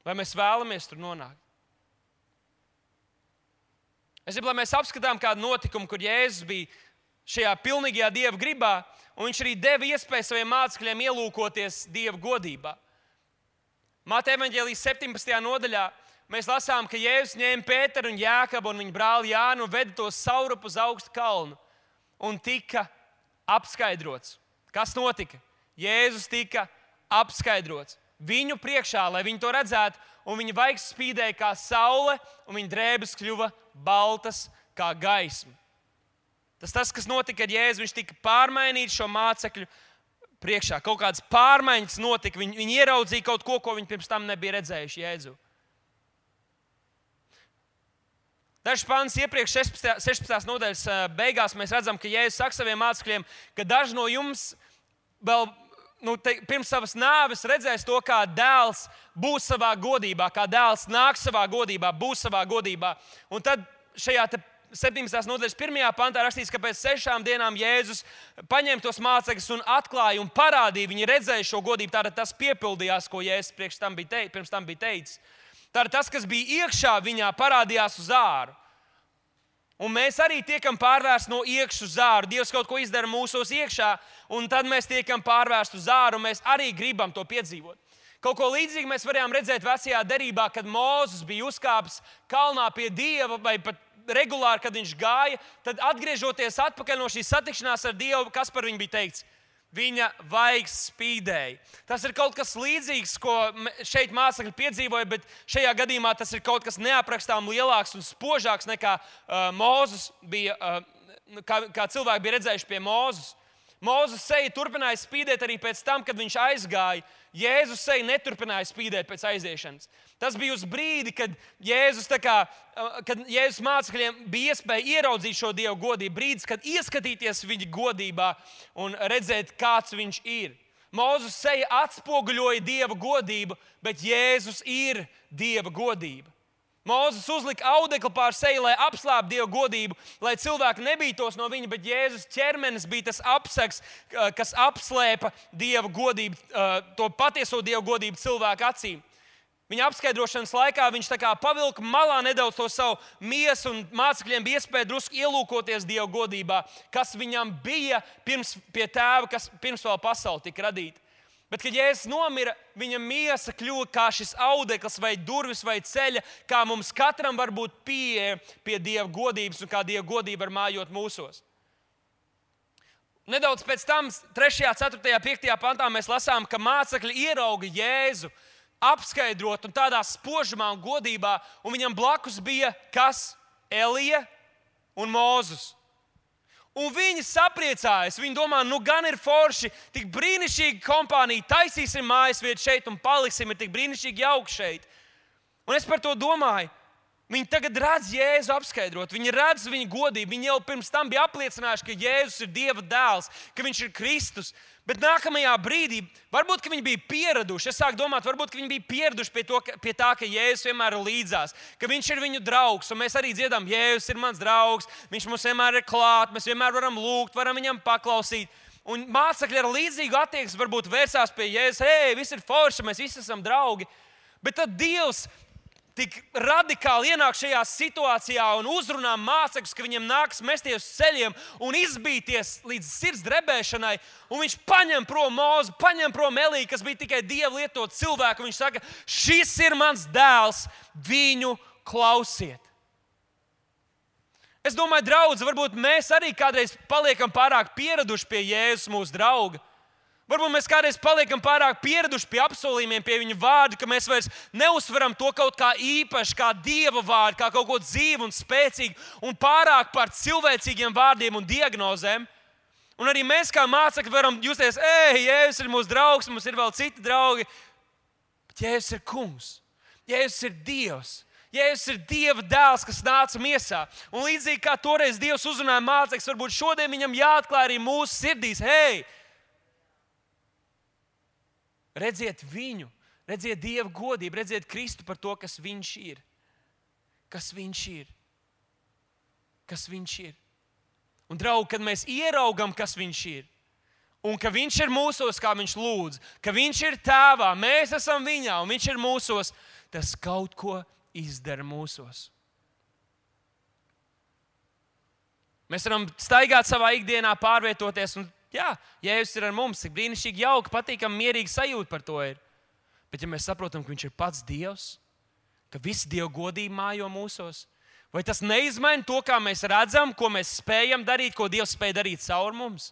Vai mēs vēlamies tur nonākt? Es gribu, lai mēs apskatām kādu notikumu, kur Jēzus bija šajā pilnīgajā Dieva gribā, un viņš arī deva iespēju saviem mācekļiem ielūkoties Dieva godībā. Mateja evaņģēlijas septiņpadsmitajā nodaļā mēs lasām, ka Jēzus ņēma Pēteru un Jākabu un viņa brāli Jānu un veda tos saurup uz augstu kalnu un tika apskaidrots. Kas notika? Jēzus tika apskaidrots viņu priekšā, lai viņi to redzētu, un viņa vaigs spīdēja kā saule, un viņa drēbes kļuva baltas kā gaisma. Tas tas, kas notika ar Jēzu, viņš tika pārmainīts šo mācekļu priekšā. Kaut kādas pārmaiņas notika. Viņi, viņi ieraudzīja kaut ko, ko viņi pirms tam nebija redzējuši Jēzu. Dažs pants iepriekš sešpadsmitās nodaļas beigās mēs redzam, ka Jēzus saka saviem mācekļiem, ka daži no jums vēl nu, te, pirms savas nāves redzēs to, kā dēls būs savā godībā, kā dēls nāks savā godībā, būs savā godībā. Un tad šajā septiņdesmitās nodaļas pirmajā pantā rakstīts, ka pēc sešām dienām Jēzus paņēma tos mācekļus un atklāja un parādīja. Viņi redzēja šo godību. Tātad tas piepildījās, ko Jēzus priekš tam bija teicis, pirms tam bija teicis. Tātad tas, kas bija iekšā viņā, parādījās uz āru. Un mēs arī tiekam pārvērsti no iekšas uz āru. Dievs kaut ko izdara mūsos iekšā, un tad mēs tiekam pārvērsti uz āru, un mēs arī gribam to piedzīvot. Kaut ko līdzīgu mēs varējām redzēt vecajā derībā, kad Mūzes bija uzkāpis kalnā pie Dieva, vai pat regulāri, kad viņš gāja, tad atgriežoties atpakaļ no šīs satikšanās ar Dievu, kas par viņu bija teikts? Viņa vaigs spīdēja. Tas ir kaut kas līdzīgs, ko šeit mācekļi piedzīvoja, bet šajā gadījumā tas ir kaut kas neaprakstām lielāks un spožāks nekā uh, Mūzes bija, uh, kā, kā cilvēki bija redzējuši pie Mūzes. Mūzes seja turpināja spīdēt arī pēc tam, kad viņš aizgāja. Jēzus seja neturpināja spīdēt pēc aiziešanas. Tas bija uz brīdi, kad Jēzus, tā kā, kad Jēzus mācekļiem bija iespēja ieraudzīt šo Dievu godību, brīdis, kad ieskatīties viņa godībā un redzēt, kāds viņš ir. Mūzes seja atspoguļoja Dieva godību, bet Jēzus ir Dieva godība. Mūzes uzlika audekli pār seju, lai apslēptu Dieva godību, lai cilvēki nebītos no viņa, bet Jēzus ķermenis bija tas apsegs, kas apslēpa Dieva godību, to patieso Dieva godību cilvēku acīm. Viņa apskaidrošanas laikā viņš tā kā pavilka malā nedaudz to savu miesu, un mācekļiem bija iespēja drusku ielūkoties Dieva godībā, kas viņam bija pirms pie tēva, kas pirms vēl pasaule tika radīta. Bet, kad Jēzus nomira, viņa miesa kļuva kā šis audekls vai durvis vai ceļa, kā mums katram var būt pieeja pie Dieva godības un kā Dieva godība var mājot mūsos. Nedaudz pēc tam, trešajā, ceturtajā, piektajā pantā mēs lasām, ka mācekļi ierauga Jēzu apskaidrot un tādā spožumā un godībā, un viņam blakus bija kas? Elija un Mūzes. Un viņi sapriecājas, viņi domā, nu gan ir forši, tik brīnišķīga kompānija, taisīsim mājas vietu šeit un paliksim, ir tik brīnišķīgi jauki šeit. Un es par to domāju, viņi tagad redz Jēzu apskaidrot, viņi redz viņa godību, viņi jau pirms tam bija apliecinājuši, ka Jēzus ir Dieva dēls, ka viņš ir Kristus. Bet nākamajā brīdī, varbūt, ka viņi bija pieraduši, es sāku domāt, varbūt, ka viņi bija pieraduši pie, to, pie tā, ka Jēzus vienmēr ir līdzās, ka viņš ir viņu draugs, un mēs arī dziedam, Jēzus ir mans draugs, viņš mums vienmēr ir klāt, mēs vienmēr varam lūgt, varam viņam paklausīt. Un mācekļi ar līdzīgu attieksmi varbūt vērsās pie Jēzus, hei, viss ir forši, mēs visi esam draugi. Bet tad Dievs tik radikāli ienāk šajā situācijā un uzrunā mācekļus, ka viņiem nāks mesties uz ceļiem un izbīties līdz sirds drebēšanai. Un viņš paņem prom Mūzu, paņem prom Eliju, kas bija tikai Dieva lietot cilvēku. Viņš saka, šis ir mans dēls, viņu klausiet. Es domāju, draudzi, varbūt mēs arī kādreiz paliekam pārāk pieraduši pie Jēzus, mūsu drauga. Varbūt mēs kādreiz paliekam pārāk pieraduši pie apsolījumiem, pie viņa vārda, ka mēs vairs neuzsveram to kaut kā īpaši, kā Dieva vārdu, kā kaut ko dzīvu un spēcīgu, un pārāk par cilvēcīgiem vārdiem un diagnozēm. Un arī mēs kā mācekļi varam justies, ej, Jēzus ir mūsu draugs, mums ir vēl citi draugi. Bet Jēzus ir kungs, Jēzus ir Dievs. Jēzus ir Dieva dēls, kas nāca miesā. Un līdzīgi kā toreiz Dievs uzrunāja mācekļus, varbūt šodien viņam jāatklāj arī mūsu sirdīs, hei, redziet viņu, redziet Dieva godību, redziet Kristu par to, kas viņš ir. Kas viņš ir. Kas viņš ir. Un, draugi, kad mēs ieraugam, kas viņš ir, un ka viņš ir mūsos, kā viņš lūdz, ka viņš ir tēvā, mēs esam viņā, un viņš ir mūsos, tas kaut ko izdara mūsos. Mēs varam staigāt savā ikdienā, pārvietoties, un jā, Jēzus ir ar mums, cik brīnišķīgi, jauki, patīkami, mierīgi sajūta par to ir. Bet ja mēs saprotam, ka viņš ir pats Dievs, ka visa Dieva godība mājo mūsos, vai tas neizmaina to, kā mēs redzam, ko mēs spējam darīt, ko Dievs spēj darīt caur mums?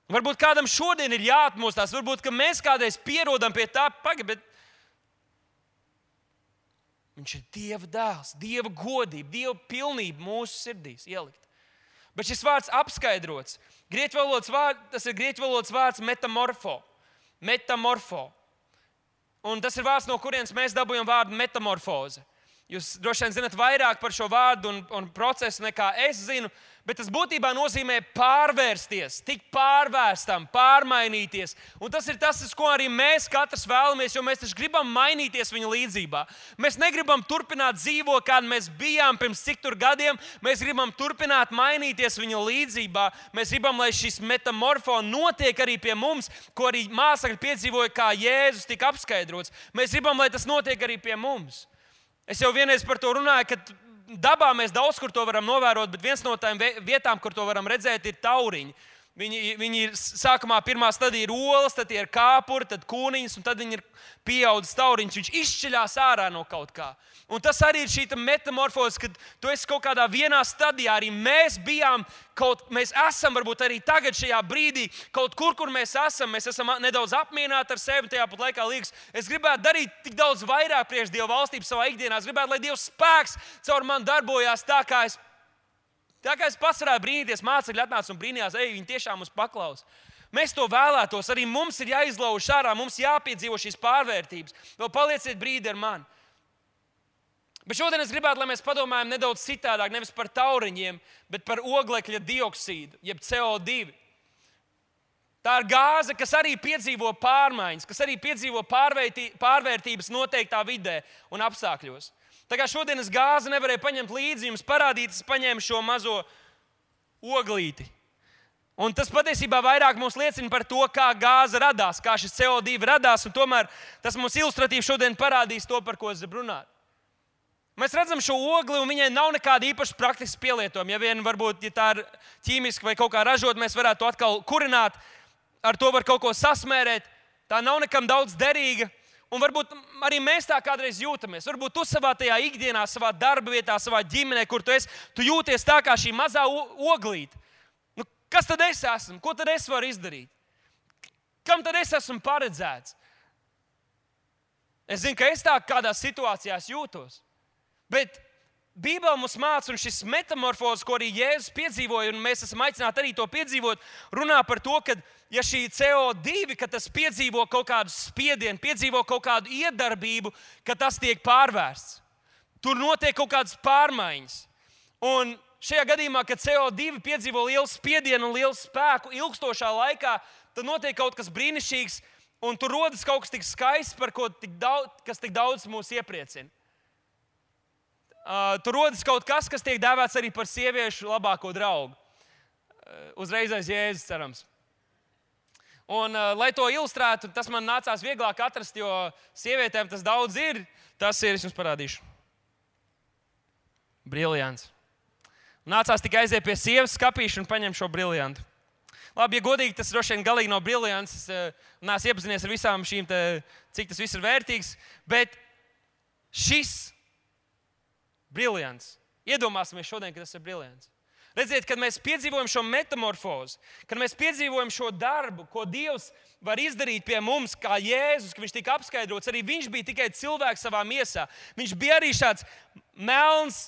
Varbūt kādam šodien ir jāatmostās, varbūt, ka mēs kādreiz pierodam pie tā, pagaid, bet viņš ir Dieva dēls, Dieva godība, Dieva pilnība mūsu sirdīs ielikt. Bet šis vārds apskaidrots. Grieķu valodas vārds, tas ir grieķu valodas vārds metamorfo. Metamorfo. Un tas ir vārds, no kurienes mēs dabūjam vārdu metamorfoze. Jūs droši vien zinat vairāk par šo vārdu un, un procesu nekā es zinu, Bet tas būtībā nozīmē pārvērsties, tikt pārvērstam, pārmainīties. Un tas ir tas, ko arī mēs katrs vēlamies, jo mēs taču gribam mainīties viņa līdzībā. Mēs negribam turpināt dzīvot, kāda mēs bijām pirms cik tur gadiem. Mēs gribam turpināt mainīties viņa līdzībā. Mēs gribam, lai šis metamorfo notiek arī pie mums, ko arī mācekļi piedzīvoja, kā Jēzus tika apskaidrots. Mēs gribam, lai tas notiek arī pie mums. Es jau vienreiz par to runāju, ka dabā mēs daudz kur to varam novērot, bet viens no tām vietām, kur to varam redzēt, ir tauriņi. Viņi, viņi ir sākumā pirmā stadija ir olas, tad ir kāpuri, tad kūniņas, un tad viņi ir pieaudzis tauriņš. Viņš izšķiļās ārā no kaut kā. Un tas arī ir šī metamorfoze, kad tu esi kaut kādā vienā stadijā. Arī mēs bijām kaut, mēs esam varbūt arī tagad šajā brīdī kaut kur, kur mēs esam. Mēs esam nedaudz apmierināti ar sevi, tajā pat laikā liekas, es gribētu darīt tik daudz vairāk priekš Dieva valstības savā ikdienā. Es gribētu, lai Dieva spēks caur mani darbojās tā, kā es Tā kā es pats varētu brīnīties, mācekļi atnāca un brīnījās, ej, viņi tiešām mums paklaus. Mēs to vēlētos, arī mums ir jāizlauž ārā, mums jāpiedzīvo šīs pārvērtības. Vēl palieciet brīdi ar mani. Bet šodien es gribētu, lai mēs padomājam nedaudz citādāk, nevis par tauriņiem, bet par oglekļa dioksīdu, jeb C O divi. Tā ir gāze, kas arī piedzīvo pārmaiņas, kas arī piedzīvo pārvērtības noteiktā vidē un apstākļos. Tā kā šodienas gāzi nevarēja paņemt līdzi, jums parādīt, es paņēmu šo mazo oglīti. Un tas patiesībā vairāk mums liecina par to, kā gāze radās, kā šis C O divi radās, un tomēr tas mums ilustratīvi šodien parādīs to, par ko es gribu runāt. Mēs redzam šo ogli, un viņai nav nekāda īpaša praktiska pielietojuma. Ja vien varbūt, ja tā ir ķīmiski vai kaut kā ražot, mēs varētu to atkal kurināt, ar to var kaut ko sasmērēt. Tā nav nekam daudz derīga. Un varbūt arī mēs tā kādreiz jūtamies. Varbūt tu savā tajā ikdienā, savā darba vietā, savā ģimenē, kur tu esi, tu jūties tā kā šī mazā oglīte. Nu, kas tad es esmu? Ko tad es varu izdarīt? Kam tad es esmu paredzēts? Es zinu, ka es tā kādās situācijās jūtos. Bet Bībele mums māca, un šis metamorfozes, ko arī Jēzus piedzīvoja, un mēs esam aicināti arī to piedzīvot, runā par to, ka ja šī C O divi, ka tas piedzīvo kaut kādu spiedienu, piedzīvo kaut kādu iedarbību, ka tas tiek pārvērsts. Tur notiek kaut kādas pārmaiņas. Un šajā gadījumā, kad C O divi piedzīvo lielu spiedienu un lielu spēku ilgstošā laikā, tad notiek kaut kas brīnišķīgs, un tur rodas kaut kas tik skaists, par ko tik daudz, kas tik daudz mūs iepriecina. Uh, tur rodas kaut kas, kas tiek dēvēts arī par sieviešu labāko draugu. Uh, uzreiz aiz Jēzus, cerams. Un, uh, lai to ilustrētu, tas man nācās vieglāk atrast, jo sievietēm tas daudz ir. Tas ir, es jums parādīšu. Briljants. Nācās tikai aiziet pie sievas skapīša un paņemt šo briljantu. Labi, ja godīgi, tas droši vien galīgi nav briljants. Es uh, neesmu iepazinies ar visām šīm, te, cik tas viss ir vērtīgs. Bet šis briljants. Iedomāsimies šodien, ka tas ir briljants. Redziet, kad mēs piedzīvojam šo metamorfozi, kad mēs piedzīvojam šo darbu, ko Dievs var izdarīt pie mums, kā Jēzus, ka viņš tika apskaidrots, arī viņš bija tikai cilvēks savā miesā. Viņš bija arī šāds melns,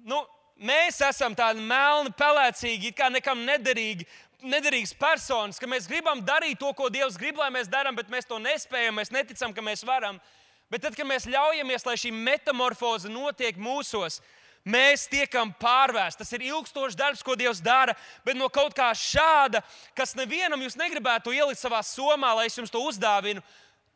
nu, mēs esam tādi melni, pelēcīgi, it kā nekam nederīgi, nederīgas personas, ka mēs gribam darīt to, ko Dievs grib, lai mēs darām, bet mēs to nespējam, mēs neticam, ka mēs varam. Bet tad, kad mēs ļaujamies, lai šī metamorfoze notiek mūsos, mēs tiekam pārvērsti. Tas ir ilgstošs darbs, ko Dievs dara, bet no kaut kā šāda, kas nevienam jūs negribētu ielikt savā somā, lai es jums to uzdāvinu,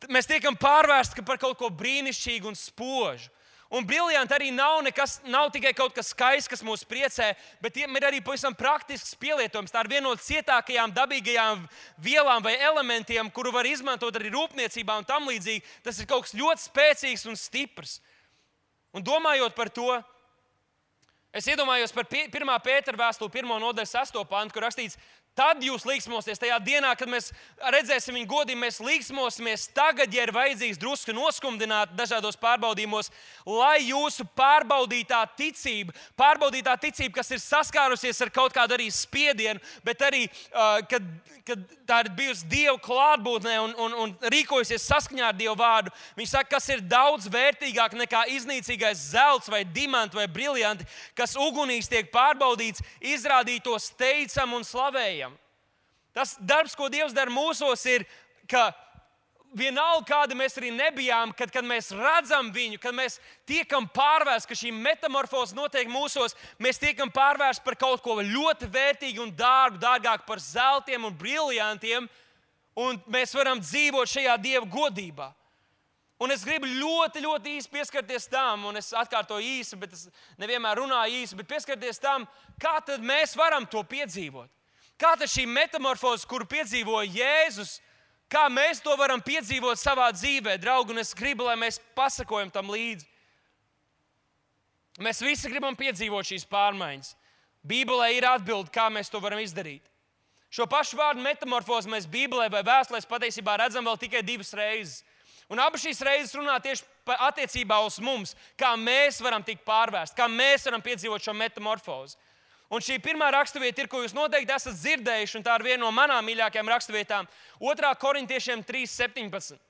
mēs tiekam pārvērsti par kaut ko brīnišķīgu un spožu. Un briljanti arī nav, nekas, nav tikai kaut kas skaists, kas mūs priecē, bet ir arī pavisam praktisks pielietojums. Tā ir viena no cietākajām dabīgajām vielām vai elementiem, kuru var izmantot arī rūpniecībā un tam līdzīgi. Tas ir kaut kas ļoti spēcīgs un stiprs. Un domājot par to, es iedomājos par pirmā Pētera vēstuli, pirmo nodaļu, sesto pantu, kur rakstīts, tad jūs līksmosies tajā dienā, kad mēs redzēsim viņu godību, mēs līksmosimies tagad, ja ir vajadzīgs drusku noskumdināt dažādos pārbaudījumos, lai jūsu pārbaudītā ticība, pārbaudītā ticība, kas ir saskārusies ar kaut kādu arī spiedienu, bet arī, uh, kad, kad tā ir bijusi Dieva klātbūtnē un, un, un rīkojusies saskaņā ar Dieva vārdu, viņš saka, kas ir daudz vērtīgāk nekā iznīcīgais zelts vai dimanti vai briljanti, kas ugunīs tiek pārbaudīts, izrādītos teicam un slavējam. Tas darbs, ko Dievs dara mūsos, ir, ka vienalga, kāda mēs arī nebijām, kad, kad mēs redzam viņu, kad mēs tiekam pārvērsti, ka šī metamorfoze notiek mūsos, mēs tiekam pārvērsti par kaut ko ļoti vērtīgu un dārgu, dārgāk par zeltiem un briljantiem, un mēs varam dzīvot šajā Dieva godībā. Un es gribu ļoti, ļoti īsi pieskarties tam, un es atkārtoju īsi, bet es nevienmēr runāju īsi, bet pieskarties tam, kā tad mēs varam to piedzīvot. Kā tad šī metamorfoze, kuru piedzīvoja Jēzus, kā mēs to varam piedzīvot savā dzīvē, draugi, un es gribu, lai mēs pasakojam tam līdzi. Mēs visi gribam piedzīvot šīs pārmaiņas. Bībelē ir atbilde, kā mēs to varam izdarīt. Šo pašu vārdu metamorfozi mēs Bībelē vai vēstulēs patiesībā redzam vēl tikai divas reizes. Un abas šīs reizes runā tieši attiecībā uz mums, kā mēs varam tikt pārvērsti, kā mēs varam piedzīvot šo metamorfozi. Un šī pirmā raksturvieta ir, ko jūs noteikti esat dzirdējuši, un tā ir viena no manām mīļākajām raksturvietām. otrā Korintiešiem trīs septiņpadsmit.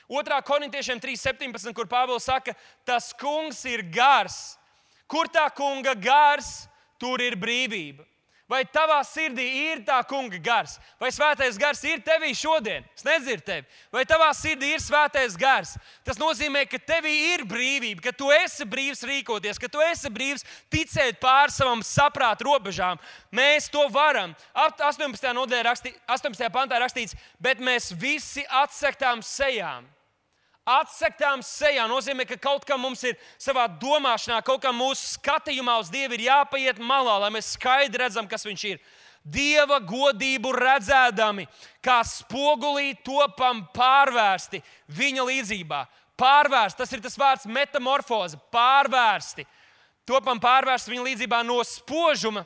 otrā Korintiešiem trīs septiņpadsmit, kur Pāvils saka, tas kungs ir gars. Kur tā kunga gars, tur ir brīvība. Vai tavā sirdī ir tā kunga gars? Vai svētais gars ir tevī šodien? Es nedzirdu tevi. Vai tavā sirdī ir svētais gars? Tas nozīmē, ka tevī ir brīvība, ka tu esi brīvs rīkoties, ka tu esi brīvs ticēt pār savam saprāta robežām. Mēs to varam. astoņpadsmitajā nodaļā rakstī, astoņpadsmitajā pantā rakstīts, bet mēs visi atsektām sejām. Atsektām sejā nozīmē, ka kaut kam mums ir savā domāšanā, kaut kam mūsu skatījumā uz Dievu ir jāpaiet malā, lai mēs skaidri redzam, kas viņš ir. Dieva godību redzēdami, kā spogulī topam pārvērsti viņa līdzībā. Pārvērsti, tas ir tas vārds metamorfoze, pārvērsti. Topam pārvērsti viņa līdzībā no spožuma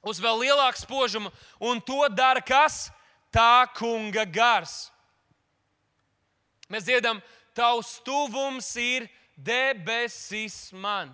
uz vēl lielāku spožumu, un to dara kas? Tā kunga gars. Mēs dziedam, tavs tuvums ir debesis man.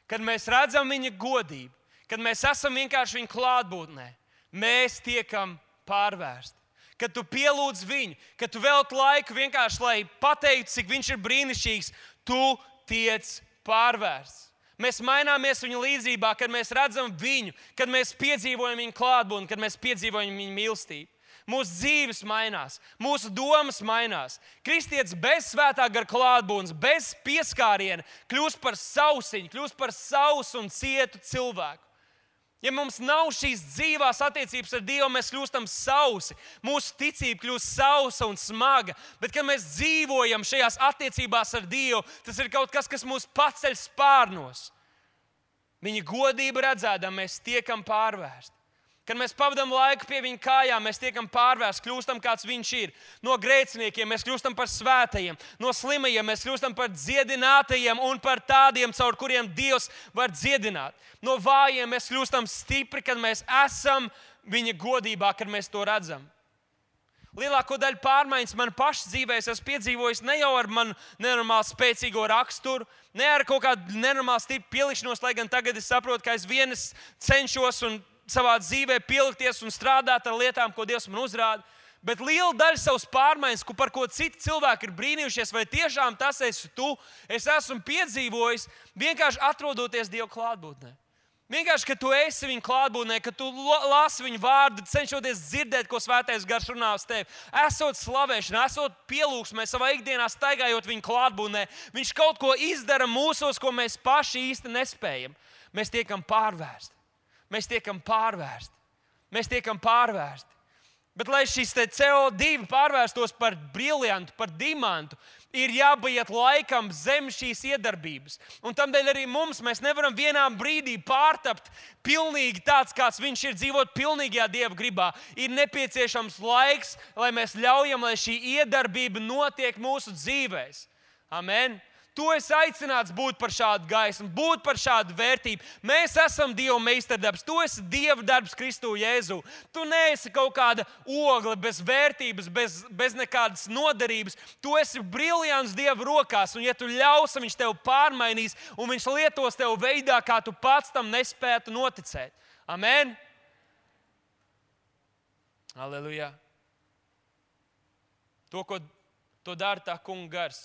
Kad mēs redzam viņa godību, kad mēs esam vienkārši viņa klātbūtnē, mēs tiekam pārvērsti. Kad tu pielūdz viņu, kad tu velti laiku vienkārši, lai pateiktu, cik viņš ir brīnišķīgs, tu tiec pārvērsts. Mēs maināmies viņa līdzībā, kad mēs redzam viņu, kad mēs piedzīvojam viņa klātbūtni, kad mēs piedzīvojam viņa mīlestību. Mūsu dzīves mainās, mūsu domas mainās. Kristietis bez svētā gara klātbūtnes, bez pieskāriena kļūst par sausiņu, kļūst par sausu un cietu cilvēku. Ja mums nav šīs dzīvās attiecības ar Dievu, mēs kļūstam sausi. Mūsu ticība kļūst sausa un smaga. Bet, kad mēs dzīvojam šajās attiecībās ar Dievu, tas ir kaut kas, kas mūs paceļ spārnos. Viņa godību redzēdam, mēs tiekam pārvērsti. Kad mēs pavadām laiku pie viņa kājām, mēs tiekam pārvērsti, kļūstam kāds viņš ir. No grēciniekiem mēs kļūstam par svētajiem, no slimajiem mēs kļūstam par dziedinātajiem un par tādiem, caur kuriem Dievs var dziedināt. No vājiem mēs kļūstam stipri, kad mēs esam viņa godībā, kad mēs to redzam. Lielāko daļu pārmaiņas man pašas dzīvē es esmu piedzīvojis ne jau ar manu nenormāli spēcīgo raksturu, ne ar kaut kādu nenormāli stipru pielikšanos, lai gan tagad es saprotu, ka es vienas cenšos un savā dzīvē pielikties un strādāt ar lietām, ko Dievs man uzrāda. Bet liela daļa savas pārmaiņas, par ko citi cilvēki ir brīnījušies, vai tiešām tas esi tu, es esmu piedzīvojis vienkārši atrodoties Dieva klātbūtnē. Vienkārši, ka tu esi viņa klātbūtnē, ka tu lasi viņa vārdu, cenšoties dzirdēt, ko svētais gars runā uz tevi. Esot slavēšanā, esot pielūgsmē, savā ikdienā staigājot viņa klātbūtnē, viņš kaut ko izdara mūsos, ko mēs paši īsti nespējam. Mēs tiekam pārvērsti. Mēs tiekam pārvērsti. Mēs tiekam pārvērsti. Bet, lai šis C O divi pārvērstos par briljantu, par dimantu, ir jābūt laikam zem šīs iedarbības. Un tādēļ arī mums mēs nevaram vienā brīdī pārtapt pilnīgi tāds, kāds viņš ir, dzīvot pilnīgajā Dieva gribā. Ir nepieciešams laiks, lai mēs ļaujam, lai šī iedarbība notiek mūsu dzīvēs. Amen. Tu esi aicināts būt par šādu gaismu, būt par šādu vērtību. Mēs esam Dieva meistardarbs. Tu esi Dieva darbs Kristu Jēzu. Tu neesi kaut kāda ogle bez vērtības, bez, bez nekādas noderības. Tu esi briljants Dieva rokās, un ja tu ļausi, viņš tevi pārmainīs, un viņš lietos tevi veidā, kā tu pats tam nespētu noticēt. Amen. Halleluja. To, ko to dara tā kunga gars.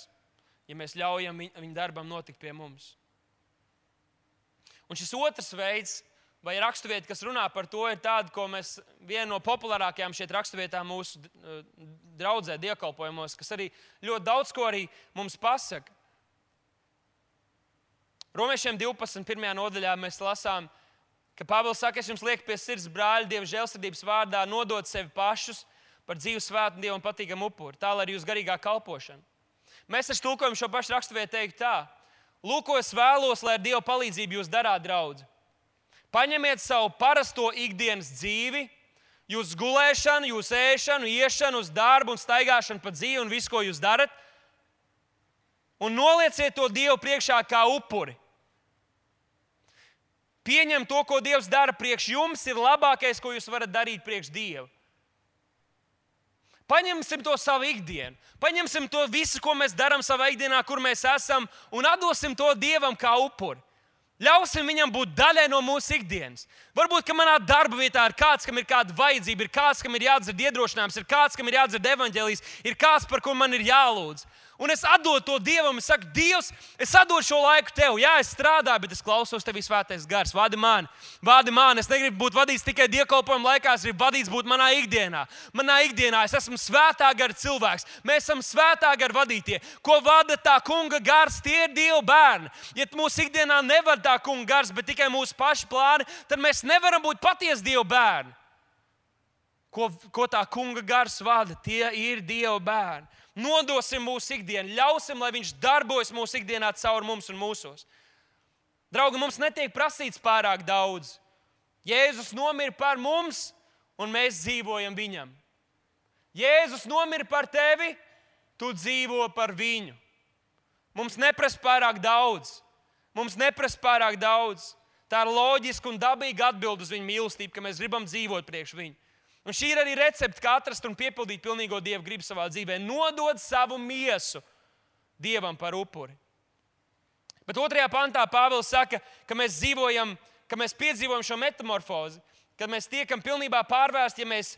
Ja mēs ļaujam viņa darbam notikt pie mums. Un šis otrs veids, vai raksturvieta, kas runā par to, ir tāda, ko mēs, viena no populārākajām šeit raksturvietām mūsu draudzē, dievkalpojumos, kas arī ļoti daudz ko arī mums pasaka. Romiešiem divpadsmit pirmajā nodaļā mēs lasām, ka Pāvils saka, es jums lieku pie sirds, brāļi, Dieva žēlsirdības vārdā, nodot sevi pašus par dzīvu svētu un Dievam patīkamu upuri, tā lai arī jūs garīgā kalpošana. Mēs taču tulkojam šo pašu raksturvietu teikt tā. Lūk, ko es vēlos, lai ar Dieva palīdzību jūs darāt, draudzi. Paņemiet savu parasto ikdienas dzīvi, jūsu gulēšanu, jūsu ēšanu, iešanu uz darbu un staigāšanu pa dzīvi un visu, ko jūs darat, un nolieciet to Dievu priekšā kā upuri. Pieņem to, ko Dievs dara priekš jums, ir labākais, ko jūs varat darīt priekš Dievu. Paņemsim to savu ikdienu, paņemsim to visu, ko mēs darām savā ikdienā, kur mēs esam, un atdosim to Dievam kā upuri. Ļausim viņam būt daļai no mūsu ikdienas. Varbūt, ka manā darba vietā ir kāds, kam ir kāda vajadzība, ir kāds, kam ir jādzird iedrošinājums, ir kāds, kam ir jādzird evaņģēlijs, ir kāds, par ko man ir jālūdz. Un es atdodu to Dievam, es saku, Dievs, es atdodu šo laiku Tev. Jā, es strādāju, bet es klausos Tevī svētais gars. Vadi mani, vadi mani. Es negribu būt vadīts tikai dievkalpojuma laikā, es gribu vadīts būt manā ikdienā. Manā ikdienā es esmu svētā gara cilvēks. Mēs esam svētā gara vadītie. Ko vada tā kunga gars, tie ir Dieva bērni. Ja mūsu ikdienā nevar tā kunga gars, bet tikai mūsu paši plāni, tad mēs nevaram būt patiesi Dieva bērni. Ko, ko tā kunga gars vada, tie ir Dieva bērni. Nodosim mūsu ikdienu, ļausim, lai viņš darbojas mūsu ikdienā caur mums un mūsos. Draugi, mums netiek prasīts pārāk daudz. Jēzus nomira par mums, un mēs dzīvojam viņam. Jēzus nomira par tevi, tu dzīvo par viņu. Mums neprasa pārāk daudz. Mums neprasa pārāk daudz. Tā ir loģiska un dabīga atbilde uz viņa mīlestību, ka mēs gribam dzīvot priekš viņu. Un šī ir arī recepte, kā atrast un piepildīt pilnīgo Dieva gribu savā dzīvē. Nodod savu miesu Dievam par upuri. Bet otrajā pantā Pāvils saka, ka mēs dzīvojam, ka mēs piedzīvojam šo metamorfozi, kad mēs tiekam pilnībā pārvērsti, ja mēs,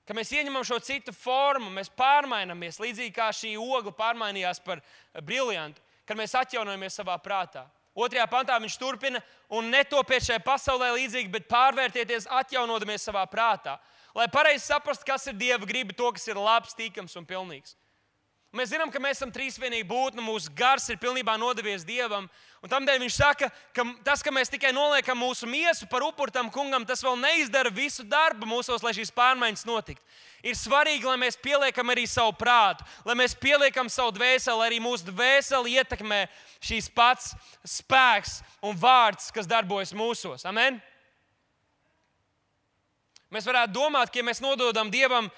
ka mēs ieņemam šo citu formu, mēs pārmainamies, līdzīgi kā šī ogla pārmainījās par briljantu, kad mēs atjaunojamies savā prātā. Otrajā pantā viņš turpina, un netopiet šajā pasaulē līdzīgi, bet pārvērtieties, atjaunodamies savā prātā. Lai pareizi saprastu, kas ir Dieva griba, to, kas ir labs, tīkams un pilnīgs. Mēs zinām, ka mēs esam trīsvienīgi būtne, mūsu gars ir pilnībā nodevies Dievam. Un tamdēļ viņš saka, ka tas, ka mēs tikai noliekam mūsu miesu par upuri tam kungam, tas vēl neizdara visu darbu mūsos, lai šīs pārmaiņas notiktu. Ir svarīgi, lai mēs pieliekam arī savu prātu, lai mēs pieliekam savu dvēseli, lai arī mūsu dvēseli ietekmē šīs pats spēks un vārds, kas darbojas mūsos. Amen? Mēs varētu domāt, ka ja mēs nododam Dievam,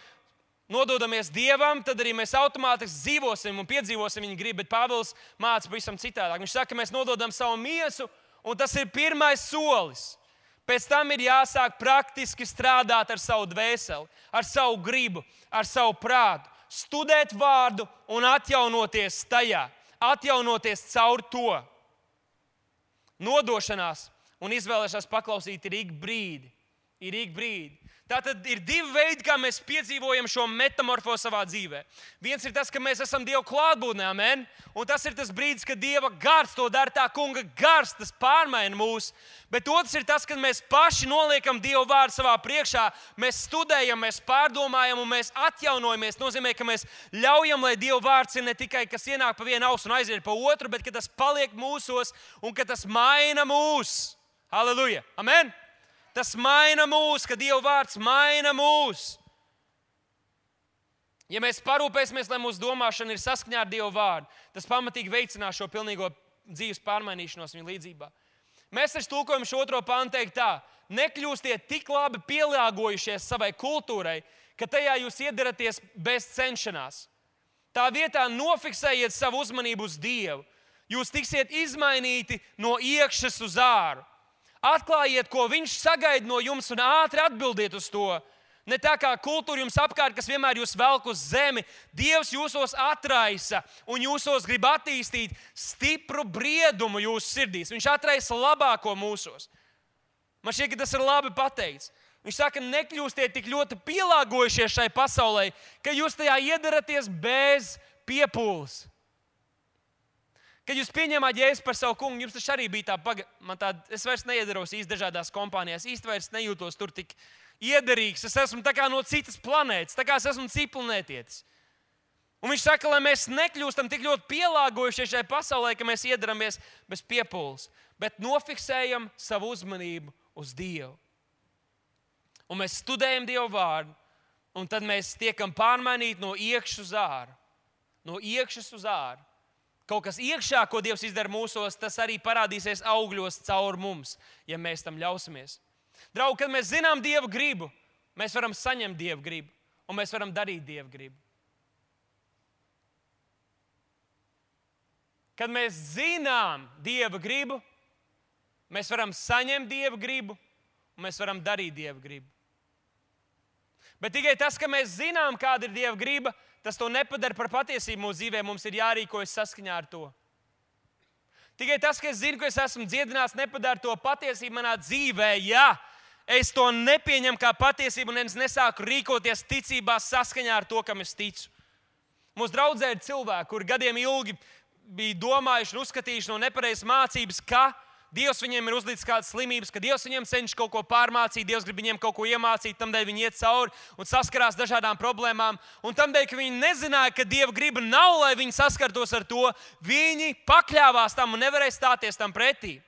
nododamies Dievam, tad arī mēs automātiski dzīvosim un piedzīvosim viņa gribu, bet Pāvils māca pavisam citādāk. Viņš saka, ka mēs nododam savu miesu, un tas ir pirmais solis. Pēc tam ir jāsāk praktiski strādāt ar savu dvēseli, ar savu gribu, ar savu prātu, studēt vārdu un atjaunoties tajā, atjaunoties caur to. Nodošanās un izvēlēšanās paklausīt ir ik brīdi, ir ik brīdi. Tātad ir divi veidi, kā mēs piedzīvojam šo metamorfozi savā dzīvē. Viens ir tas, ka mēs esam Dieva klātbūtnē, amen. Un tas ir tas brīdis, kad Dieva gars to dara, tā kunga gars, tas pārmaina mūs. Bet otrs ir tas, kad mēs paši noliekam Dieva vārdu savā priekšā, mēs studējam, mēs pārdomājam un mēs atjaunojamies. Nozīmē, ka mēs ļaujam, lai Dieva vārds ir ne tikai, kas ienāk pa vienu ausu un aiziet pa otru, bet ka tas paliek mūsos un ka tas maina mūs. Halleluja! Amen! Tas maina mūs, ka Dieva vārds maina mūs. Ja mēs parūpēsimies, lai mūsu domāšana ir saskaņā ar Dieva vārdu, tas pamatīgi veicinās šo pilnīgo dzīves pārmainīšanos viņa līdzībā. Mēs taču tulkojam šo otro pantu teikt tā: nekļūstiet tik labi pielāgojušies savai kultūrai, ka tajā jūs iedaraties bez cenšanās. Tā vietā nofiksējiet savu uzmanību uz Dievu. Jūs tiksiet izmainīti no iekšas uz āru. Atklājiet, ko viņš sagaida no jums un ātri atbildiet uz to. Ne tā kā kultūra jums apkārt, kas vienmēr jūs velk uz zemi. Dievs jūsos atraisa un jūsos grib attīstīt stipru briedumu jūsu sirdīs. Viņš atraisa labāko mūsos. Man šķiet, ka tas ir labi pateikts. Viņš saka, nekļūstiet tik ļoti pielāgojušies šai pasaulē, ka jūs tajā iedaraties bez piepūles. Kad jūs pieņēmāt Jēzu par savu kungu, jums taču arī bija tā, paga... man tā, es vairs neiedaros īsti dažādās kompānijās, īsti vairs nejūtos tur tik iederīgs, es esmu tā kā no citas planētas, tā kā es esmu citplanētietis. Un viņš saka, lai mēs nekļūstam tik ļoti pielāgojušies šai pasaulē, ka mēs iedaramies bez piepūles, bet nofiksējam savu uzmanību uz Dievu. Un mēs studējam Dievu vārdu, un tad mēs tiekam pārmainīti no iekšas uz āru. No iekšas uz āru. Kaut kas iekšā, ko Dievs izdara mūsos, tas arī parādīsies augļos caur mums, ja mēs tam ļausimies. Draugi, kad mēs zinām Dieva gribu, mēs varam saņemt Dieva gribu, un mēs varam darīt Dieva gribu. Kad mēs zinām Dieva gribu, mēs varam saņemt Dieva gribu, un mēs varam darīt Dieva gribu. Bet tikai tas, ka mēs zinām, kāda ir Dieva griba, tas to nepadara par patiesību mūsu dzīvē. Mums ir jārīkojas saskaņā ar to. Tikai tas, ka es zinu, ka es esmu dziedināts, nepadara to patiesību manā dzīvē. Ja es to nepieņemu kā patiesību un es nesāku rīkoties ticībā saskaņā ar to, kam es ticu. Mūsu draudzē ir cilvēki, kuri gadiem ilgi bija domājuši un uzskatījuši no nepareizas mācības, ka Dievs viņiem ir uzlicis kādas slimības, ka Dievs viņiem cenšas kaut ko pārmācīt, Dievs grib viņiem kaut ko iemācīt, tamdēļ viņi iet cauri un saskarās dažādām problēmām. Un tamdēļ, ka viņi nezināja, ka Dieva griba nav, lai viņi saskartos ar to, viņi pakļāvās tam un nevarēja stāties tam pretī.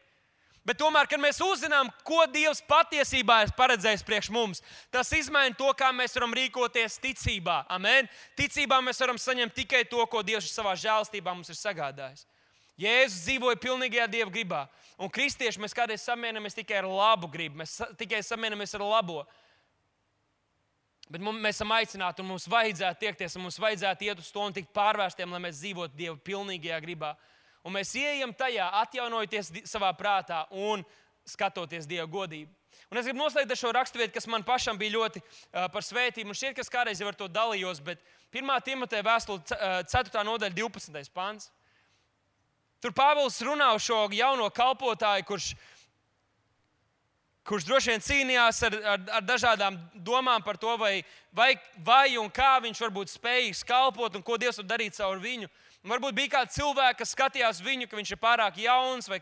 Bet tomēr, kad mēs uzzinām, ko Dievs patiesībā ir paredzējis priekš mums, tas izmaina to, kā mēs varam rīkoties ticībā. Amen. Ticībā mēs varam saņemt tikai to, ko Dievs savā žēlstībā mums ir sagādājis. Jēzus dzīvoja pilnīgajā Dieva gribā. Un kristieši mēs kādreiz samierinamies tikai ar labu gribu. Mēs tikai samierinamies ar labo. Bet mums, mēs esam aicināti un mums vajadzētu tiekties un mums vajadzētu iet uz to un tikt pārvērstiem, lai mēs dzīvotu Dieva pilnīgajā gribā. Un mēs ieejam tajā, atjaunojoties savā prātā un skatoties Dieva godību. Un es gribu noslēgt ar šo raksturvietu, kas man pašam bija ļoti uh, par svētību. Un šķiet, ka es kādreiz jau ar to dalījos, bet pirmā Timoteja vēstule ceturtā nodaļa divpadsmitais pants. Tur Pāvils runā uz šo jauno kalpotāju, kurš, kurš droši vien cīnījās ar, ar, ar dažādām domām par to, vai, vai, vai un kā viņš var būt spējīgs kalpot un ko Dievs var darīt caur viņu. Un varbūt bija kāds cilvēks, kas skatījās viņu, ka viņš ir pārāk jauns, vai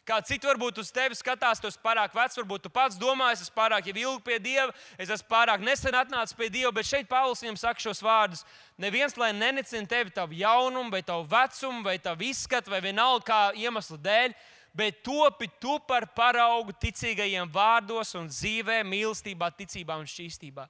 kāds cits varbūt uz tevi skatās, tu esi pārāk vecs, varbūt tu pats domā, es esmu pārāk jau ilgi pie Dieva, es esmu pārāk nesen atnācis pie Dieva, bet šeit Pāvils viņam saka šos vārdus. Neviens, lai nenecina tevi tavu jaunumu, vai tavu vecumu, vai tavu izskatu, vai vienalga kā iemeslu dēļ, bet topi tu par paraugu ticīgajiem vārdos un dzīvē, mīlestībā, ticībā un šķīstībā.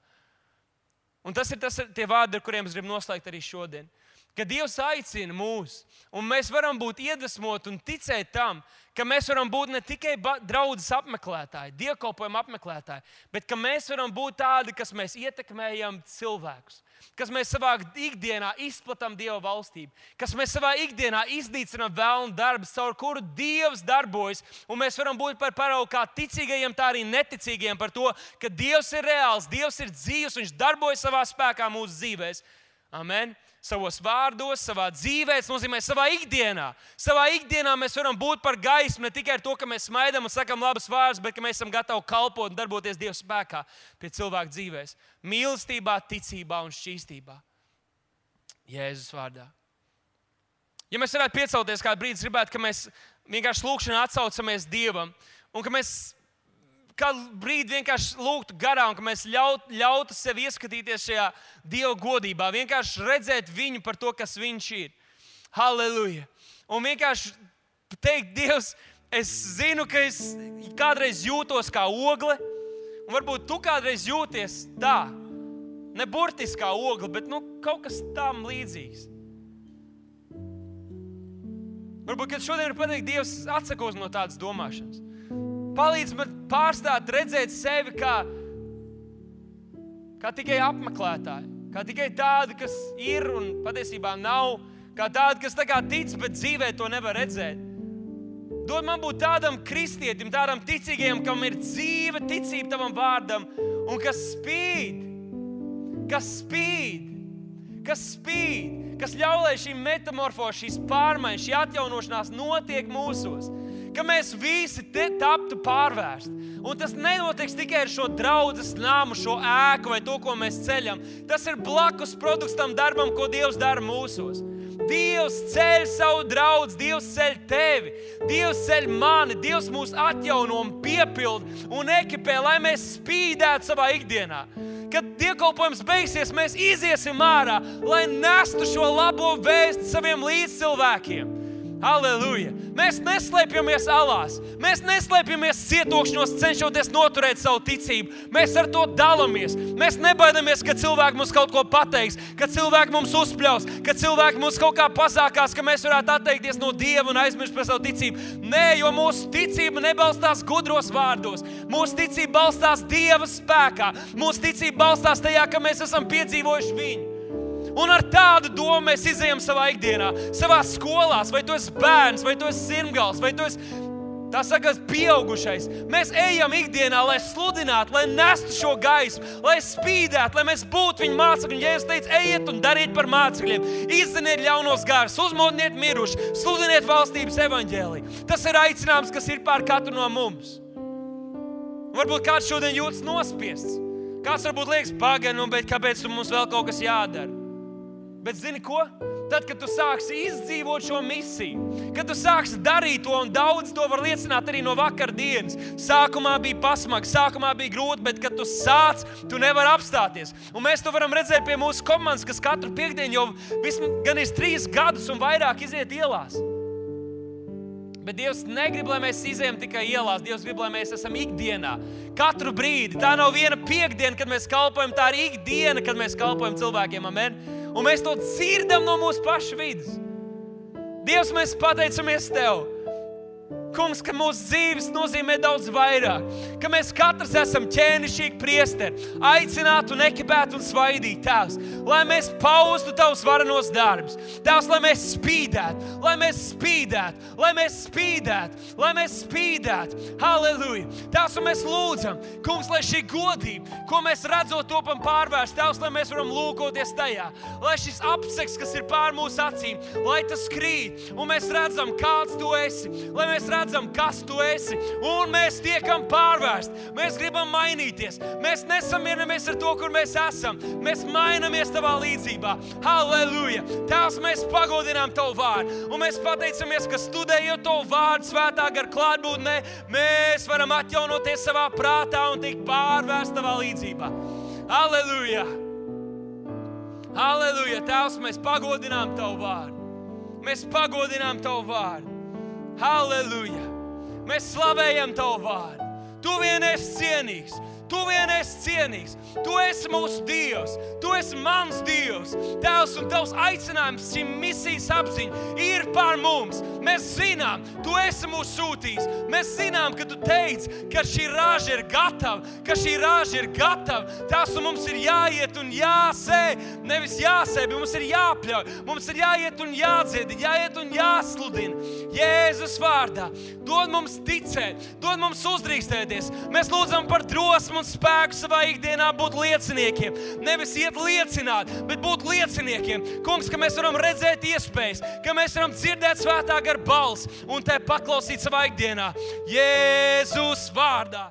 Un tas ir tas, tie vārdi, ar kuriem es gribu noslēgt arī šodien. Ka Dievs aicina mūs, un mēs varam būt iedvesmoti un ticēt tam, ka mēs varam būt ne tikai draudzes apmeklētāji, dievkalpojuma apmeklētāji, bet ka mēs varam būt tādi, kas mēs ietekmējam cilvēkus, kas mēs savā ikdienā izplatām Dieva valstību, kas mēs savā ikdienā iznīcinām vēlnu darbus, caur kuru Dievs darbojas, un mēs varam būt par paraugu kā ticīgajiem, tā arī neticīgajiem par to, ka Dievs ir reāls, Dievs ir dzīvs, viņš darbojas savā spēkā mūsu dzīvēs. Amen. Savos vārdos, savā dzīvē, tas nozīmē savā ikdienā. Savā ikdienā mēs varam būt par gaismu ne tikai ar to, ka mēs smaidām un sakam labas vārdus, bet ka mēs esam gatavi kalpot un darboties Dieva spēkā pie cilvēku dzīvēs. Mīlestībā, ticībā un šķīstībā. Jēzus vārdā. Ja mēs varētu piecelties kādu brīdi, gribētu, ka mēs vienkārši lūkšanā atsaucamies Dievam un ka mēs kādu brīdi vienkārši lūgtu garām, ka mēs ļaut, ļautu sev ieskatīties šajā Dieva godībā, vienkārši redzēt viņu par to, kas viņš ir. Halleluja! Un vienkārši teikt, Dievs, es zinu, ka es kādreiz jūtos kā ogle, un varbūt tu kādreiz jūties tā, ne burtiski kā ogle, bet nu, kaut kas tam līdzīgs. Varbūt, kad šodien ir pateikt, Dievs atsakos no tādas domāšanas. Palīdz man pārstāt redzēt sevi kā, kā tikai apmeklētāji, kā tikai tādi, kas ir un patiesībā nav, kā tādi, kas tā kā tic, bet dzīvē to nevar redzēt. Dod man būt tādam kristietim, tādam ticīgajam, kam ir dzīve, ticība tavam vārdam, un kas spīd, kas spīd, kas spīd, kas ļauj, lai šī metamorfoze, šīs pārmaiņas, šī atjaunošanās notiek mūsos. Ka mēs visi te taptu pārvērsti. Un tas nenotiks tikai ar šo draudzes nāmu, šo ēku vai to, ko mēs ceļam. Tas ir blakus produkts tam darbam, ko Dievs dara mūsos. Dievs ceļ savu draudzi, Dievs ceļ tevi, Dievs ceļ mani, Dievs mūs atjauno un piepild un ekipē, lai mēs spīdētu savā ikdienā. Kad dievkalpojums beigsies, mēs iziesim ārā, lai nestu šo labo vēsti saviem līdzcilvēkiem. Halleluja! Mēs neslēpjamies alās, mēs neslēpjamies cietokšņos, cenšoties noturēt savu ticību. Mēs ar to dalamies. Mēs nebaidamies, ka cilvēki mums kaut ko pateiks, ka cilvēki mums uzpļaus, ka cilvēki mums kaut kā pasākās, ka mēs varētu atteikties no Dieva un aizmirst par savu ticību. Nē, jo mūsu ticība nebalstās gudros vārdos. Mūsu ticība balstās Dieva spēkā. Mūsu ticība balstās tajā, ka mēs esam piedzīvojuši viņu. Un ar tādu domu mēs izejam savā ikdienā, savā skolās, vai tu esi bērns, vai tu esi sirmgals, vai tu esi, tā sakās, pieaugušais. Mēs ejam ikdienā, lai sludinātu, lai nestu šo gaismu, lai spīdētu, lai mēs būtu viņa mācekļi. Jēzus teica, ejiet un dariet par mācekļiem, izziniet ļaunos garus, uzmodiniet miruši, sludiniet valstības evaņģēliju. Tas ir aicinājums, kas ir pār katru no mums. Varbūt kāds šodien jūtas nospiests. Kāds varbūt liekas, pagaidi, nu, bet kāpēc mums vēl kaut kas jādara? Bet zini ko? Tad, kad tu sāksi izdzīvot šo misiju, kad tu sāksi darīt to, un daudz to var liecināt arī no vakardienas. Sākumā bija pasmagi, sākumā bija grūti, bet kad tu sāc, tu nevari apstāties. Un mēs to varam redzēt pie mūsu komandas, kas katru piekdienu jau vismaz gan ir trīs gadus un vairāk iziet ielās. Bet Dievs negrib, lai mēs izejam tikai ielās. Dievs grib, lai mēs esam ikdienā. Katru brīdi. Tā nav viena piekdiena, kad mēs kalpojam, tā ir ikdiena, kad mēs kalpojam cilvēkiem. Amen. Un mēs to dzirdam no mūsu pašu vidas. Dievs, mēs pateicamies Tev. Kungs, ka mūsu dzīves nozīmē daudz vairāk, ka mēs katrs esam ķēnišķīgi priesteri, aicināti un ekipēti un svaidīti, Tēvs, lai mēs paustu Tavus varenos darbus, Tēvs, lai mēs spīdētu, lai mēs spīdētu, lai mēs spīdētu, lai mēs spīdētu, halleluja, Tēvs, un mēs lūdzam, Kungs, lai šī godība, ko mēs redzot topam pārvērst, Tēvs, lai mēs varam lūkoties tajā, lai šis apseks, kas ir pār mūsu acīm, lai tas krīt, un mēs redzam, kāds Tu esi, lai mēs redzam, redzam, kas Tu esi, un mēs tiekam pārvērst. Mēs gribam mainīties. Mēs nesamierinamies ar to, kur mēs esam. Mēs mainamies Tavā līdzībā. Halleluja! Tēvs, mēs pagodinām Tavu vārdu, un mēs pateicamies, ka studējot Tavu vārdu svētā gara klātbūtnē, mēs varam atjaunoties savā prātā un tikt pārvērst Tavā līdzībā. Halleluja! Halleluja! Tēvs, mēs pagodinām Tavu vārdu. Mēs pagodinām Tavu vārdu. Halleluja! Mēs slavējam Tavu vārdu. Tu vien esi cienīgs. Tu vien esi cienīgs. Tu esi mūsu Dievs. Tu esi mans Dievs. Tēvs, un Tavs aicinājums, šī misijas apziņa ir pār mums. Mēs zinām, Tu esi mūs sūtījis. Mēs zinām, ka Tu teici, ka šī raža ir gatava, ka šī raža ir gatava. Tēvs, un mums ir jāiet un jāsē, nevis jāsē, bet mums ir jāpļauj. Mums ir jāiet un jādzied, jāiet un jāsludina. Jēzus vārdā. Dod mums ticēt, dod mums uzdrīkstēties. Mēs lūdzam par drosmu un spēku savā ikdienā būt lieciniekiem. Nevis iet liecināt, bet būt lieciniekiem. Kungs, ka mēs varam redzēt iespējas, ka mēs varam dzirdēt svētā gara balsi un te paklausīt savā ikdienā. Jēzus vārdā.